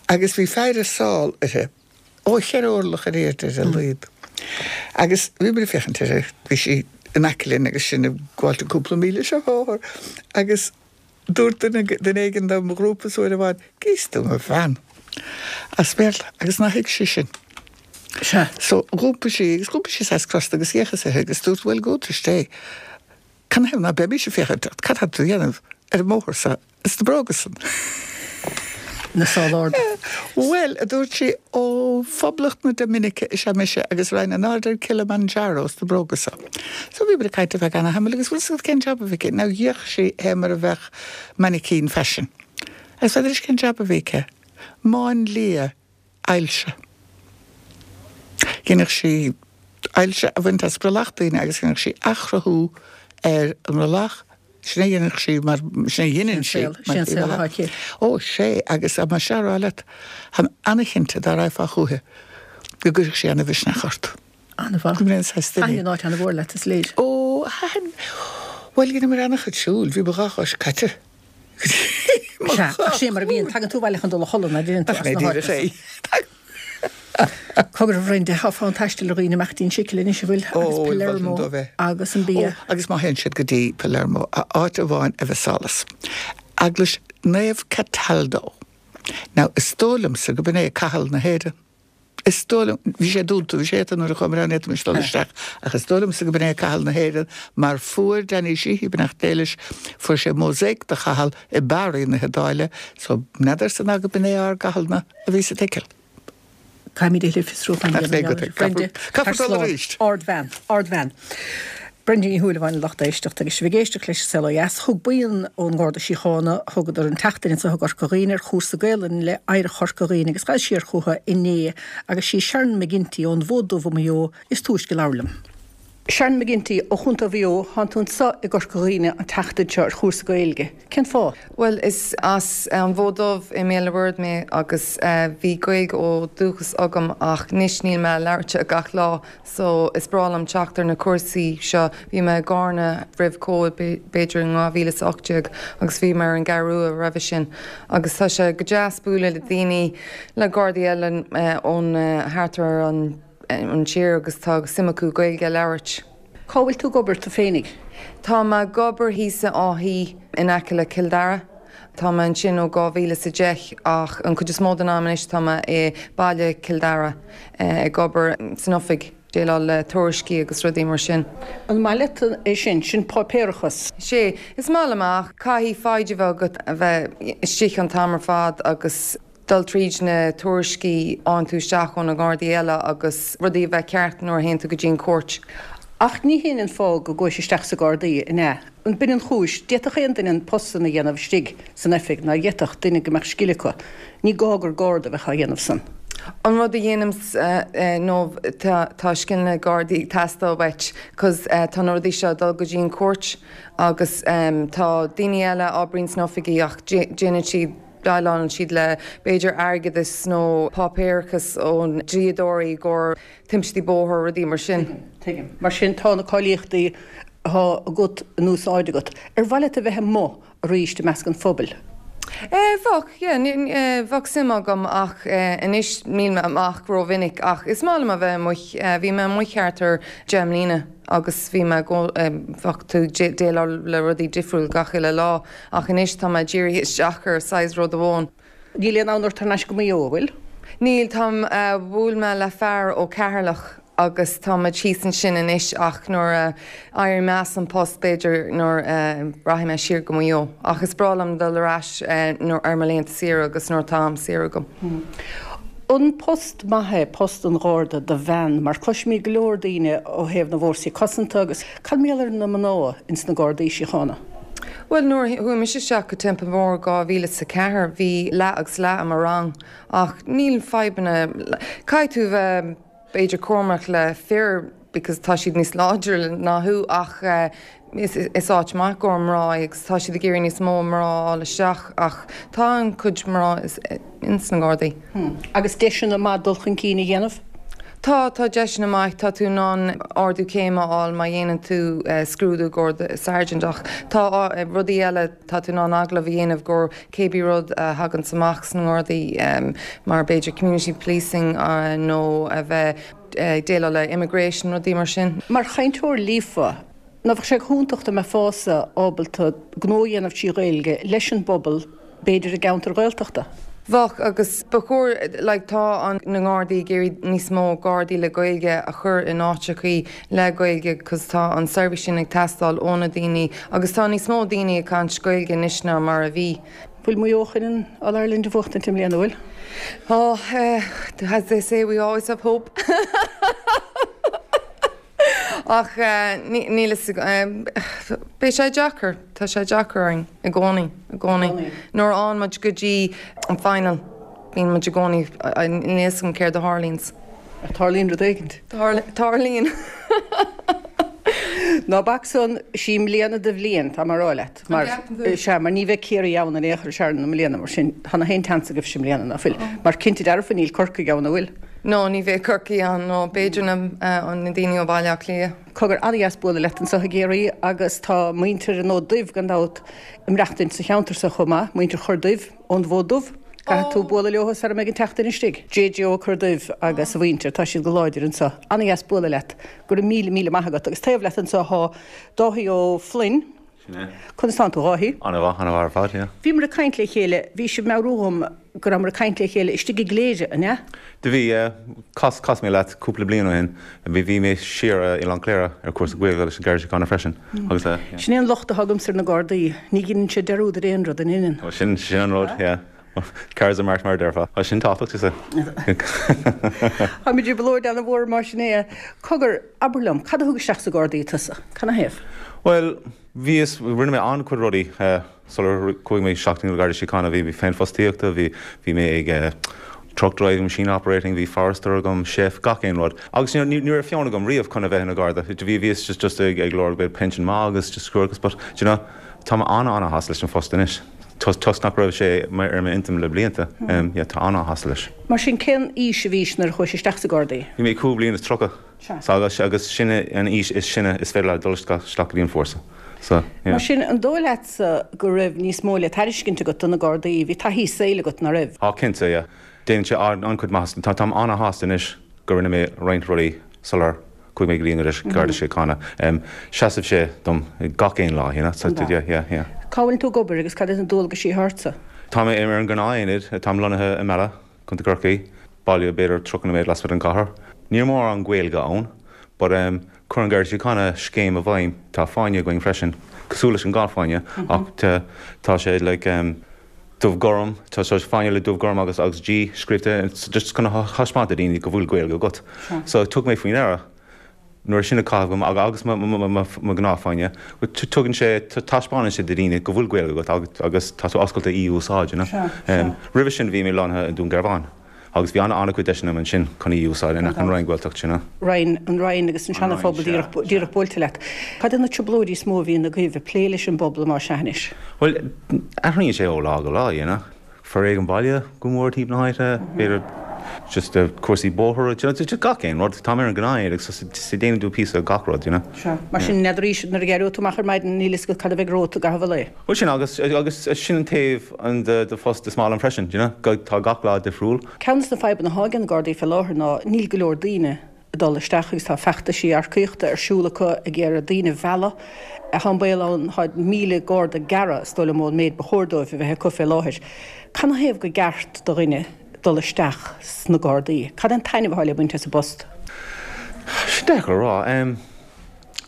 agus bhí fear ag sál uirthi, ó cheithre orlach ar airde ar a laghad. Agus bhíomar ag féachaint uirthi, bhí sí in aice linn agus sinn ag gabháilt an cúpla míle seo bóthar agus Dúirt duine duine éigin de mo ghrúpa-sa uair amháin, Gíos tú mo bhean! as Béarla, agus nár thuig sí sin. Sea. So, dh'iompaigh sí, agus dh'iompaigh sí saghas crosta agus d'fhéachas uirthi agus dúirt, Bhuel, gabh tó. Canathaobh ná beimís ag féachaint ort? Cad tá tú a dhéanamh ar an mbóthar so ins na bróga san? Na sála arda. Bhuel, a dúirt sí, ó Phoblacht na Doiminice is ea mise agus raghainn in airde ar Kilimanjaro sna bróga so. So bhíomar ag caint ar feadh ana-thamaill agus bhfuil 'fhios agat cén jab a bhí aici? Now d'fhéach sí fé mar a bheadh mainicín faisin. Agus n'fheadar cén jab a bhí aici? Máinlia ailse. Dheineadh sí ailse a bhaint as brollach daoine agus dheineadh sí athchruthú ar an mbrollach Sin é a dhéanadh sí mar, sin é a dheineann sí mar Sin é an saol atá aici. Ó, sé, agus tá mise á rá leat, táim ana-chinnte dá raghfá chúithi go gcuirfeadh sí ana-mhisneach ort. Ana-mhaith. Go mbeidh an saghas duine. Thaitin an áit ana-mhór leat, is léir. Ó, thaitin. Bhuel, dheineamar ana-chuid siúil, bhí mo dhá chois caite. Mo Sea, ach sin é mar a bhíonn, tagann tú abhaile chun dul a chodladh, ná deireann tú as na háiteanna san. Cogar a Bhrenda, tá fonn taistil ar dhaoine imeacht dtí an tSicil anois, an bhfuil? Agus Palermo agus an bia. Ó, agus má théann siad go dtí Palermo, áit amháin a mhiseálas. Eaglais Naomh Cataldo. Now, is dóigh liomsa go b'in é Cathal na hÉireann. Is dóigh liom, bhí sé dúnta, bhí sé iata nuair a chuamar ann, ní fhéadfaimis dul isteach, ach is dóigh liomsa go b'in é Cathal na hÉireann mar fuair Danny Sheehy, beannacht Dé leis, fuair sé mósáic de Chathal i Bari na hIodáile, so n'fheadarsa ná go b'in é ár gCathal-na. a bhí sa tSicil. Caithfimid a thuilleadh fiosrúcháin a dhéanamh ar Bhrenda. Caithfear dul arís. Ardbhean. Ardbhean. Brenda Ní Shúilleabháin a lucht éisteachta agus sibh ag éisteacht leis An Saol Ó Dheas. Thug buíon ón nGarda Síochána, thugadar an tseachtain anseo i gCorca Dhuibhne ar chúrsa Gaelainne le Oidhreacht Chorca Dhuibhne agus ghabhas siar chucu inné agus sí Sharon McGinty ón bhFód Dubh i Maigh Eo is túisce a labhair liom. Sharon McGinty ó Chontae Mhaigh Eo, thánn tú anseo i gCorca Dhuibhne an tseachtain seo ar chúrsa Gaeilge. Cén fáth? Bhuel, is as an bhFód Dubh i mBéal na Bord mé agus bhí Gaeilge ó dúchas agam ach anois níl mé á labhairt gach lá so is breá liom teacht ar na cúrsaí seo. Bhí mé i gCarna roimh Covid b'fhéidir in 2018 agus bhí mé ar an gCeathrú Rua roimhe sin agus tá sé go deas bualadh le daoine, le Gardaí eile ón thart ar an an tír agus tá suim acu Gaeilge a labhairt. Cá bhfuil tú ag obair tú féinig? Tá mé ag obair thíos i Áth Í in aice le Cill Dara. Tá mé ansin ó 2010 ach an chuid is mó den am anois tá mé i baile Cill Dara ag obair san oifig, déileáil le tuairiscí agus rudaí mar sin. An maith leat é sin? Sin páipéarachas. Sea, is maith liom é ach caithfidh foighid a bheith agat a bheith istigh an t-am ar fad agus. dul tríd na tuairiscí a fhaigheann tú isteach ó na Gardaí eile agus rudaí a bheith ceart nuair a théann tú go dtí an chúirt. Ach ní hin an fáth go gcuais isteach sa Gardaí, an ea? An b'in an chúis? D'fhéadfadh aon duine an post san a dhéanamh istigh san oifig, ná d'fhéadfadh, duine go mbeadh scil acu. Ní gá gur Garda a bheadh á dhéanamh san. An rud a dhéanaimse nó tá scileanna Gardaí ag teastáil uait 'cause tá na rudaí seo ag dul go dtí an chúirt agus tá daoine eile a oibríonn sna oifigí ach déanann siad Déileálann siad le, b'fhéidir, airgeadas nó páipéarachas ó dhlíodóirí i gcomhair timpistí bóthair, rudaí mar sin. Tuigim, tuigim. Mar sin, tá na cáilíochtaí atá agat in úsáid agat. Ar mhaith leat a bheith amuigh arís i measc an phobail? Bheadh, yeah, bheadh suim agam ach anois níl mé amach rómhinic ach is maith liom a bheith amuigh. Bhí mé amuigh thart ar deich mbliana agus bhí mé, bheadh tú ag déileáil le rudaí difriúil gach uile lá. Ach anois tá mé dírithe isteach ar saghas rud amháin. Níl aon fhonn ort thar n-ais go Maigh Eo, an bhfuil? Níl, táim, bhuail mé le fear ó Ceatharlach agus tá muid thíos ansin anois ach nuair a éireoidh mé as an post b'fhéidir nuair a rachaidh mé siar go Maigh Eo. Ach is breá liom dul ar ais ar mo laethanta saoire agus nuair atá am saor agam. An post maith é post an Gharda do bhean mar cloisimid go leor daoine ó thaobh na bhfórsaí cosanta agus cad mar gheall ar na mná ins na Gardaí Síochána? Bhuel, nuair a chuaigh mise isteach go Templemore 2004, bhí leath agus leath i mo rang ach níl fadhbanna, caithfidh tú bheith b'fhéidir cúramach le fir because tá siad níos láidre ná thú ach is áit maith i gcomhair mná é agus tá siad ag iarraidh níos mó mná a fháil isteach ach tá an-chuid mná ins na Gardaí. Agus deiseanna maith dul chun cinn a dhéanamh? Tá, tá deiseanna maith. Tá tú in ann ardú céime a fháil má dhéanann tú scrúdú i gcomhair sergeant ach tá rudaí eile, tá tú in ann agallamh a dhéanamh i gcomhair cébí rud a thaganns amach sna nGardaí mar b'fhéidir community policing nó a bheith ag déileáil le immigration, rudaí mar sin. Mar chainteoir líofa, Ná bheadh sé go hiontach dá mbeifeása ábalta gnó a dhéanamh trí Ghaeilge leis an bpobal, b'fhéidir i gceantair Ghaeltachta? Bheadh, agus ba chóir, like, tá an, na nGardaí ag iarraidh níos mó Gardaí le Gaeilge a chur in áiteachaí le Gaeilge 'cause tá an seirbhís sin ag teastáil ó na daoine agus tá níos mó daoine ag caint Gaeilge anois ná mar a bhí. Bhfuil Maigh Eo chun an All Ireland a bhuachtaint i mbliana, bhfuil? Oh, eh, as they say, we always have hope. Ach níl fhios agam, beidh sé deacair, tá sé deacair orainn i gcónaí, i gcónaí. Nuair a fhaigheann muid go dtí an final, bíonn muid i gcónaí, níl fhios agam céard a tharlaíonns. Ach tarlaíonn rud éigint. Tarlaíonn. Ná bac san, sí mbliana do bhliain, tá mé a rá leat. Mar, sea, mar ní bheidh Ciarraí ann in aon chor i mbliana, mar sin, tá nach aon tseans agaibhse i mbliana, ná fuil? Mar cinnte dearfa níl Corcaigh ann, an bhfuil? No, ní bheidh Corcaigh ann, no, b'fhéidir na daoine ó Bhaile Átha Cliath. Cogar, an-dheas bualadh leat anseo i gCiarraí agus tá muintir an Fhóid Duibh gan dabht ag maireachtaint sa cheantar seo chomh maith, muintir Chor Duibh ón bhFód Dubh. Caithfidh tú bualadh leo sara mbeidh an tseachtain istigh. JJ Ó Cor Duibh agus a mhuintir, tá siad go láidir anseo. An-dheas bualadh leat. Go raibh míle, míle maith agat. Agus taobh leat anseo thá Dáithí Ó Floinn. Sin é. Conas tánn tú, a Dháithí? An-mhaith, an-mhaith ar fad, yeah. Bhíomar ag caint le chéile, bhí sibh ag meabhrú dhom go rabhamar ag caint le chéile istigh i gCléire, an ea? Do bhí, yeah. Chas, chas mé leat cúpla bliain ó shin. Bhí, bhí mé siar i Oileán Chléire ar cúrsa Gaeilge leis an Garda Síochána freisin agus eh, yeah. Sin é an locht atá agamsa ar na Gardaí, ní dheineann siad dearúd ar aon rud, an ndeineann? Ó, sin, sin an rud, yeah. Cards are marked mar a déarfá. Tá sin tábhachtach, is ea. Táimid i dtrioblóid an-mhór mar sin é. Cogar, abair liom, cad a thug isteach sa Gardaí tusa? Canathaobh? Bhuel, bhíos, rinne mé an-chuid rudaí sular chuaigh mé isteach na Gardaí Síochána. Bhí féinfhostaíochta, bhí, bhí mé ag truck driving, machine operating, bhí forester agam, chef, gach aon rud. Agus you know, ní, ní raibh fonn agam riamh chun a bheith ina Gharda. Bhí, bhíos just, just ag, ag lorg bit pension maith agus just scuarachas, but, do you know, tá mé an-an-shásta leis an phost anois. Toisc nach raibh sé ar m'intinn le blianta, yeah, tá an-shásta leis. Mar sin, cén aois a bhís nuair a chuais isteach sa Gardaí? Bhí mé 25 bliain. So, agus, agus sin an aois is sine is féidir leat dul isteach go dtí an fórsa. So, yeah. Mar sin, an dóigh leatsa go raibh níos mó le tairiscint agat do na Gardaí? Bhí taithí saoil agat, ná raibh? Á, cinnte, yeah. Déanann sé an-chuid maitheasa. Tá, táim an-shásta anois go rinne mé roinnt rudaí sular. Chuaigh mé go dtí an Garda Síochána. Seasann sé dom gach aon lá, you know, so yeah, yeah, yeah. Cá bhfuil tú ag obair agus cad iad na dualgaisí atá ortsa? Tá mé ar an ghnáth-aonad, táim lonnaithe i Mala, Contae Chorcaí, baile b'fhéidir 30 nóiméad lasmuigh den chathair. Níl mórán Gaeilge ann, but chuir an Garda Síochána scéim i bhfeidhm, tá fáinne againn freisin, cosúil leis an golf-fháinne, ach tá sé like dubh gorm, tá sé fáinne le dubh gorm agus agus G scríobhta just chun a thaispeáint do daoine go bhfuil Gaeilge agat. So thug mé faoi ndeara. nuair sin á chaitheamh agam agus mo ghnáthfháinne, tugann sé, taispeánann sé do dhaoine go bhfuil Gaeilge agat agus tá tú oscailte í a úsáid, you know. Roimhe sin bhí mé lonnaithe i nDún Garbhán agus bhí an-chuid deiseanna agam ansin chun í a úsáid in aice an Rinn Gaeltacht, you know. Rinn, an Rinn agus an Seana-Phobal díreach buailte leat. Cad iad na trioblóidí is mó a bhíonn agaibh ag plé leis an bpobal más ea anois? Bhuel, athraíonn sé ó lá go lá, you know. Foréigean baile go mór timpeall na háite, b'fhéidir just cúrsaí bóthair, do you know, just gach aon rud. Táim ar an ghnáth-aonad so so déanann tú píosa de gach rud, you know. Sea. Mar sin, n'fheadar nuair a éireoidh tú amach ar maidin, níl fhios agat cad a bheidh romhat i gcaitheamh an lae. Bhuel sin agus agus sin an taobh an de de phost is maith liom freisin, do you know, go tá gach lá difriúil. Ceann de na fadhbanna atá ag na Gardaí fé láthair ná níl go leor daoine ag dul isteach agus tá feachtaisí earcaíochta ar siúl acu ag iarraidh daoine a mhealladh. Tá an baol ann, tá 1,000 garda gearrtha, is dóigh liom, ón méid ba chóir dóibh a bheith acu fé láthair. Canathaobh gur ceart do dhuine dul isteach sna Gardaí? Cad é an taitneamh atá le baint as an bpost? Sin deacair a rá.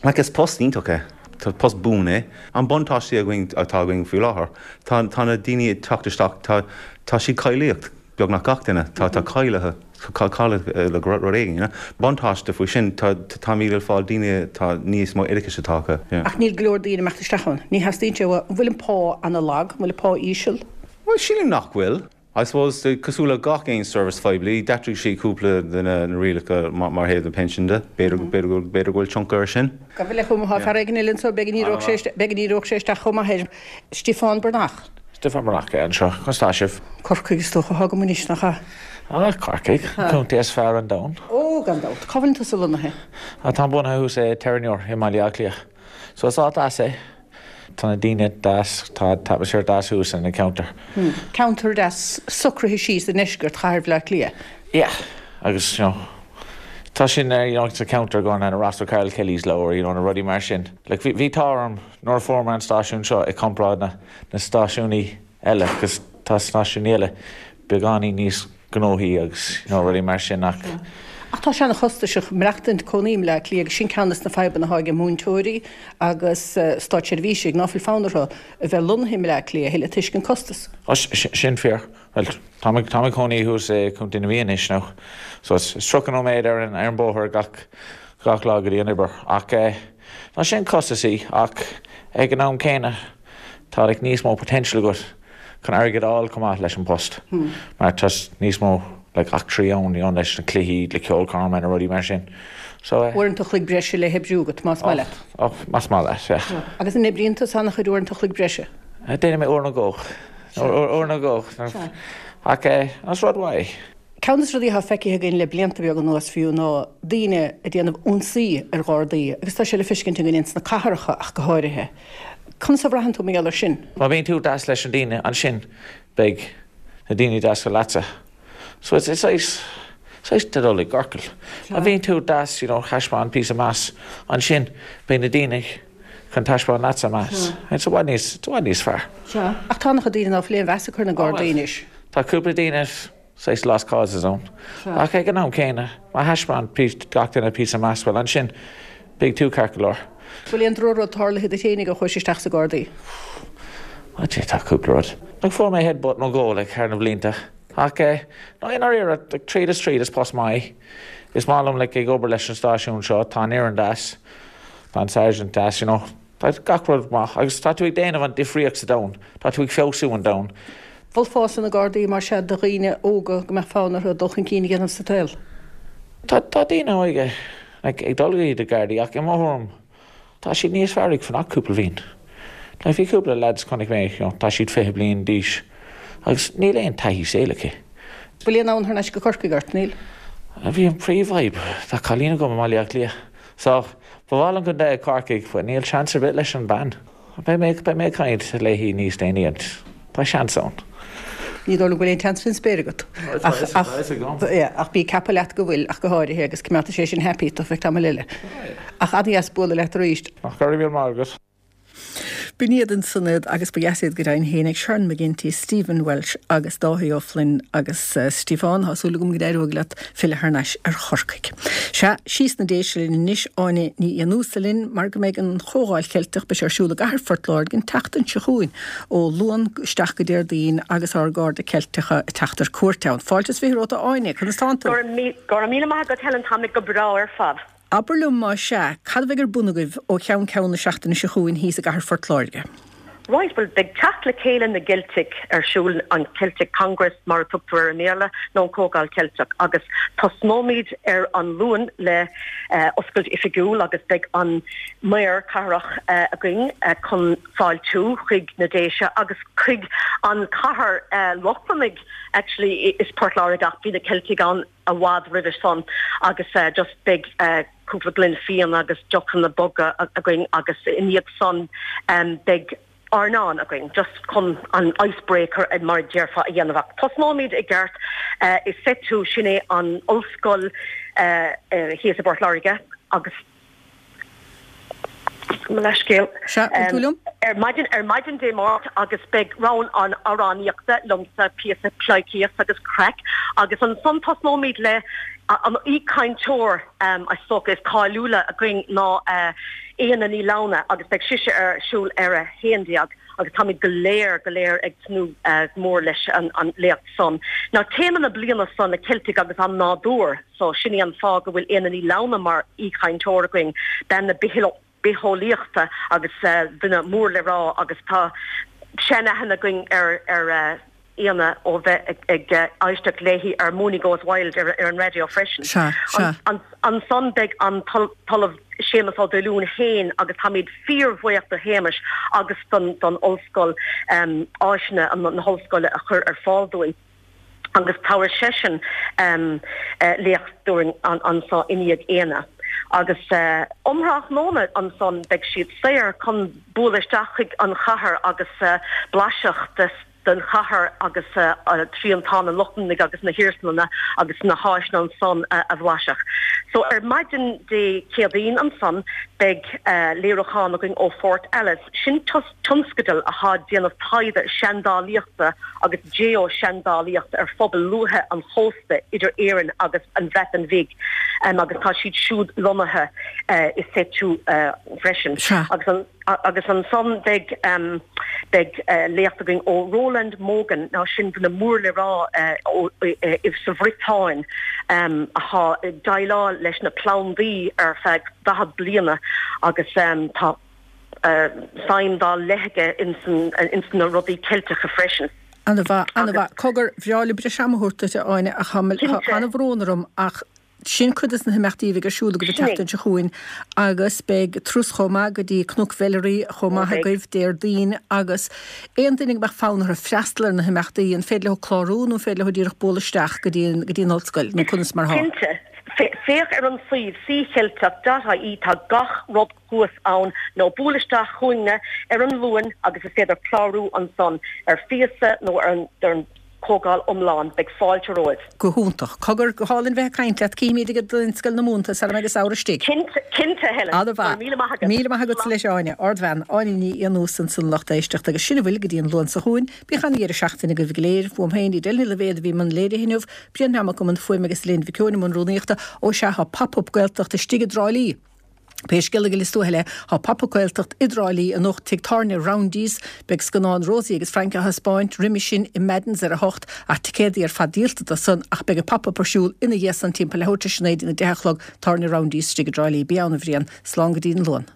Like is post iontach é. Tá post buan é. An buntáiste againn atá againn faoi láthair, tá tá na daoine ag teacht isteach, tá tá siad cáilíocht. beagnach gach duine, tá tá cáilithe, cáilithe le rud éigin, you know. Buntáiste faoi sin, tá táimid ag fáil daoine tá níos mó oideachais atá acu, yeah. Ach níl go leor daoine ag imeacht isteach ann. Ní theastaíonn sé uathu. An bhfuil an pá ana-lag? An bhfuil an pá íseal? Bhuel, sílim nach bhfuil. I suppose, cosúil le gach aon service phoiblí, d'athraigh siad cúpla de na rialacha mar thaobh na pinsin de. B'fhéidir, b'fhéidir go, b'fhéidir go bhfuil tionchar ar sin. Gabh i leith chomh maith, tá fear éigin eile anseo, b'fhéidir go n-éireodh sé, b'fhéidir go n-éireodh sé isteach chomh maith air. Stiofán Breathnach. Stiofán Breathnach anseo. Conas tá sibh? Corcaigh is dócha atá agam anois, nach ea? Ah, Corcaigh, an contae is fearr an domhan. Ó, gan dabht. Cá bhfuileann tusa lonnaithe? Ah, táim bunaithe thuas i Terenure i mBaile Átha Cliath. So is áit deas é. Tá na daoine deas, tá an t-atmaisféar deas thuas in an ceantar. Ceantar deas socraithe síos i ndeisceart chathair Bhaile Átha Cliath. Yeah, agus, you know, tá sin ar, you know, sa ceantar go na Ross O'Carroll Kelly's Leabhar, you know, na rudaí mar sin. Like, bhí, bhí t-ádh orm nuair a fuair mé an stáisiún seo i comparáid na na stáisiúnaí eile agus tá stáisiúnaí eile beagáinín níos gnóthaí agus you know rudaí mar sin ach. Ach tá sé ana-chostasach maireachtaint cónaí i mBleá Cliath agus sin ceann des na fadhbanna atá ag múinteoirí agus státseirbhísigh ná fuil fonn orthu a bheith lonnaithe i mBleá Cliath a thuilleadh toisc an costas. Ó sin fíor. Bhuel táim ag táim ag cónaí thuas i Contae na Mí anois now so it's 30 nóiméad ar an ar an bóthar gach gach lá go dtí an obair ach eh tá sin costasaí ach ag an am céanna tá like níos mó potential agat chun airgead a fháil chomh maith leis an post mar tá níos mó like eachtraí ann you know leis na cluichí, le ceolchoirm na rudaí mar sin so eh. Uaireanta a chloig breise le hoibriú agat más maith leat. Oh, más maith leat, yeah. Agus an oibríonn tusa an-chuid uaireanta a chloig breise? Déanfaidh mé uair nó dhó. Uair nó dhó. Ach eh, is rud mhaith é. Ceann de na rudaí atá feicthe againn le blianta beaga anuas fiú ná daoine ag déanamh ionsaí ar Ghardaí agus tá sé le feiscint againn ins na cathracha ach go háirithe. Conas a bhraitheann tú mar gheall air sin? Má bhíonn tú deas leis na daoine, ansin beidh na daoine deas leatsa. So it's saghas, saghas de dul i gciorcal. Má bhíonn tú deas, you know, thaispeáin píosa meas, ansin beidh na daoine chun taispeáin leatsa meas. It's i bhfad níos, it's i bhfad níos fearr. Sea. Ach tá an-chuid daoine ná fuil aon mheas acu ar na Gardaí anois. Tá cúpla daoine saghas lost causes ann. Ach ag an am céanna, má thaispeáin gach duine píosa meas, bhuel ansin beidh tú ceart go leor. Bhfuil aon drochrud tarlaithe duit fhéinig ó chuais isteach sa Gardaí? Ó Dé, tá cúpla rud. Like fuair mé headbutt nó dhó like thar na blianta. Ach eh, no i ndáiríre, like tríd is tríd is post maith é. Is maith liom like ag obair leis an stáisiún seo, tá an fhoireann deas, tá an sergeant deas, you know. Tá gach rud maith agus tá tú ag déanamh an difríocht sa domhan, tá tú ag feabhsú an domhan. Mholfása na Gardaí mar sea do dhaoine óga go mbeadh fonn orthu dul chun cinn a dhéanamh sa tsaol? Tá tá daoine óga like ag dul go dtí na Gardaí ach i mo thuairim tá siad níos fearr ag fanacht cúpla bhliain. Like bhí cúpla lads chonaic mé you know tá siad 20 bliain d'aois agus níl aon taithí saoil acu. Bhfuil aon fhonn thar n-ais go Corcaigh ort, níl? Bhí an príomhfhadhb, tá cailín agam i mBaile Átha Cliath So, ba mhaith liom go mbeadh Corcaigh, but níl seans ar bith leis an bean. Beidh mé, beidh mé ag caint léi níos déanaí and tá seans ann. Ní dóigh liom go bhfuil aon tseans faoin spéir agat. Ach, ach, yeah, ach bí ag ceapadh leat go bhfuil, ach go háirithe, agus coimeádfaidh sé sin happy tú feadh tamaill eile. Ach an-dheas bualadh leat arís. Ach go raibh míle maith agat. B'in iad ansan iad agus ba dheas iad go deimhin féin ag Sharon McGinty, Stephen Walsh agus Dáithí Ó Floinn agus Stiofán, tá súil agam go n-éireoidh leat filleadh thar n-ais ar Chorcaigh. Sea, síos na Déise linn anois, Áine Ní Fhiannúsa linn mar go mbeidh an Chomhdháil Cheilteach, beidh sé ar siúl i gcathair Phort Láirge an tseachtain seo chugainn, ó Luan isteach go Déardaoin agus ár gcairde Ceilteacha ag teacht ar cuairt ann. Fáilte is 20 romhat a Áine, conas tánn tú? Go raibh míle maith agat Helen, tá mé go breá ar fad. Abair liom más ea, cad a bheidh ar bun agaibh ó cheann ceann na seachtaine seo chugainn thíos i gcathair Phort Láirge? Right, bhuel beidh teacht le chéile na gCeilteach ar siúl, an Celtic Congress mar a tugtar air i mBéarla, nó an Comhdháil Cheilteach, agus tosnóimid ar an Luan le oscailt oifigiúil agus beidh an Maor Cathrach againn chun fáiltiú chuig na Déise agus chuig an chathair Lochlannaigh actually is Port Láirge ach bhí na Ceiltigh ann i bhfad roimhe san agus just beidh cúpla gloine fíona agus deochanna boga againn agus i ndiaidh san beidh airneán againn just chun an ice breaker mar a déarfá a dhéanamh ach tosnóimid i gceart i SETU sin é an ollscoil thíos i bPort Láirge agus Mo leithscéal. Sea, bhfuil tú liom? Ar maidin, ar maidin Dé Máirt agus beidh round amhránaíochta liomsa, píosa pleidhcíocht agus craic agus ansan tosnóimid le an aoichainteoir is dócha is cáiliúla againn ná Éanna Ní Lamhna agus beidh sise ar siúl ar a 11 agus táimid go léir, go léir ag tnúth go mór leis an léacht san. Now téama na bliana seo na Ceiltigh agus an nádúr. So, sin é an fáth go bhfuil Éanna Ní Lamhna mar aoichainteoir againn, bean na bitheolaíochta agus duine mór le rá agus tá sean-aithne againn ar ar Éanna ó bheith ag éisteacht léi ar Mooney Goes Wild ar an raidió freisin. Sea, sea. Ansan beidh an tOllamh Séamus Ó Duilliúin féin agus táimid fíorbhuíoch do Shéamus agus don ollscoil áiseanna na hollscoile a chur ar fáil dúinn. agus tabharfaidh seisean léacht dúinn anso i ndiaidh Éanna. Agus um thráthnóna ansan beidh siad saor chun bualadh isteach chuig an chathair agus blaiseadh den chathair agus triantán an Lochlannaigh agus na hiarsmalanna agus na háiseanna ansan a bhlaiseadh. So ar maidin Dé Céadaoin ansan beidh léiriúchán againn ó Fort Alice. Sin tionscadal athá ag déanamh taighde seandálaíochta agus geo-seandálaíocht ar phobail luaithe an chósta idir Éirinn agus an Bhreatain Bhig agus tá siad siúd lonnaithe i SETU freisin. Agus agus ansan beidh beidh léacht againn ó Roland Mogan, now sin duine mór le rá sa Bhriotáin athá ag déileáil leis na plandaí ar feadh 40 bliana agus tá suim dá leith aige ins na rudaí Ceilteacha freisin. Ana mhaith, ana mhaith. Cogar, bhreá liom breis ama a thabhairt duit, a Áine, ach tá an-bhrón orm ach sin cuid des na himeachtaí a bheidh ar siúl agaibh an tseachtain seo chugainn agus beidh turas chomh maith go dtí Cnoc Mheilearaí chomh maith agaibh Déardaoin agus aon duine go mbeadh fonn orthu freastal ar na himeachtaí, an féidir leo clárú nó an féidir leo díreach bualadh isteach go dtí an, go dtí an ollscoil nó conas mar atá? Cinnte. Féach ar an suíomh ccheilteach.ie tá gach rud thuas ann nó buail isteach chugainne ar an Luan agus is féidir clárú ansan ar phíosa nó ar an chomhdháil iomlán. Beidh fáilte romhaibh. Go hiontach. Cogar, go hálainn bheith ag caint leat. Cífimid ag an Scoil na Mumhan sara mbeidh an samhradh istigh. Cinnte, cinnte, Helen. Ana mhaith. Míle maith agat. Míle maith agatsa leis, Áine. Ardbhean. Áine Ní Fhiannúsa ansan lucht éisteachta agus sin a bhfuil go dtí an Luan seo chugainn. Bíodh ana-dheireadh seachtaine agaibh go léir. Uaim féin, Edel Ní Loibhéad a bhí i mbun léirithe inniu, Brian Mac i mbun fuaime agus Elaine Mhic Eoin i mbun rúnaíochta. Ó sea, tá Pop Up Gaeltacht istigh i dTrá Lí. Pé scéal a ghoileas tú eile, tá Pop Up Gaeltacht i dTrá Lí anocht, Tigh Tábhairne Roundy's. Beidh scannán Rosie agus Frank á thaispeáint, roimhe sin i Madden's ar a hocht, ach ticéadaí ar fad díolta do san, ach beidh an Pop Up ar siúl ina dhiaidh san timpeall leathuair tar éis a naoi dtí a deich a chlog, Tábhairne Roundy's istigh i dTrá Lí. Bí ann, a Bhriain. Slán go dtí an Luan.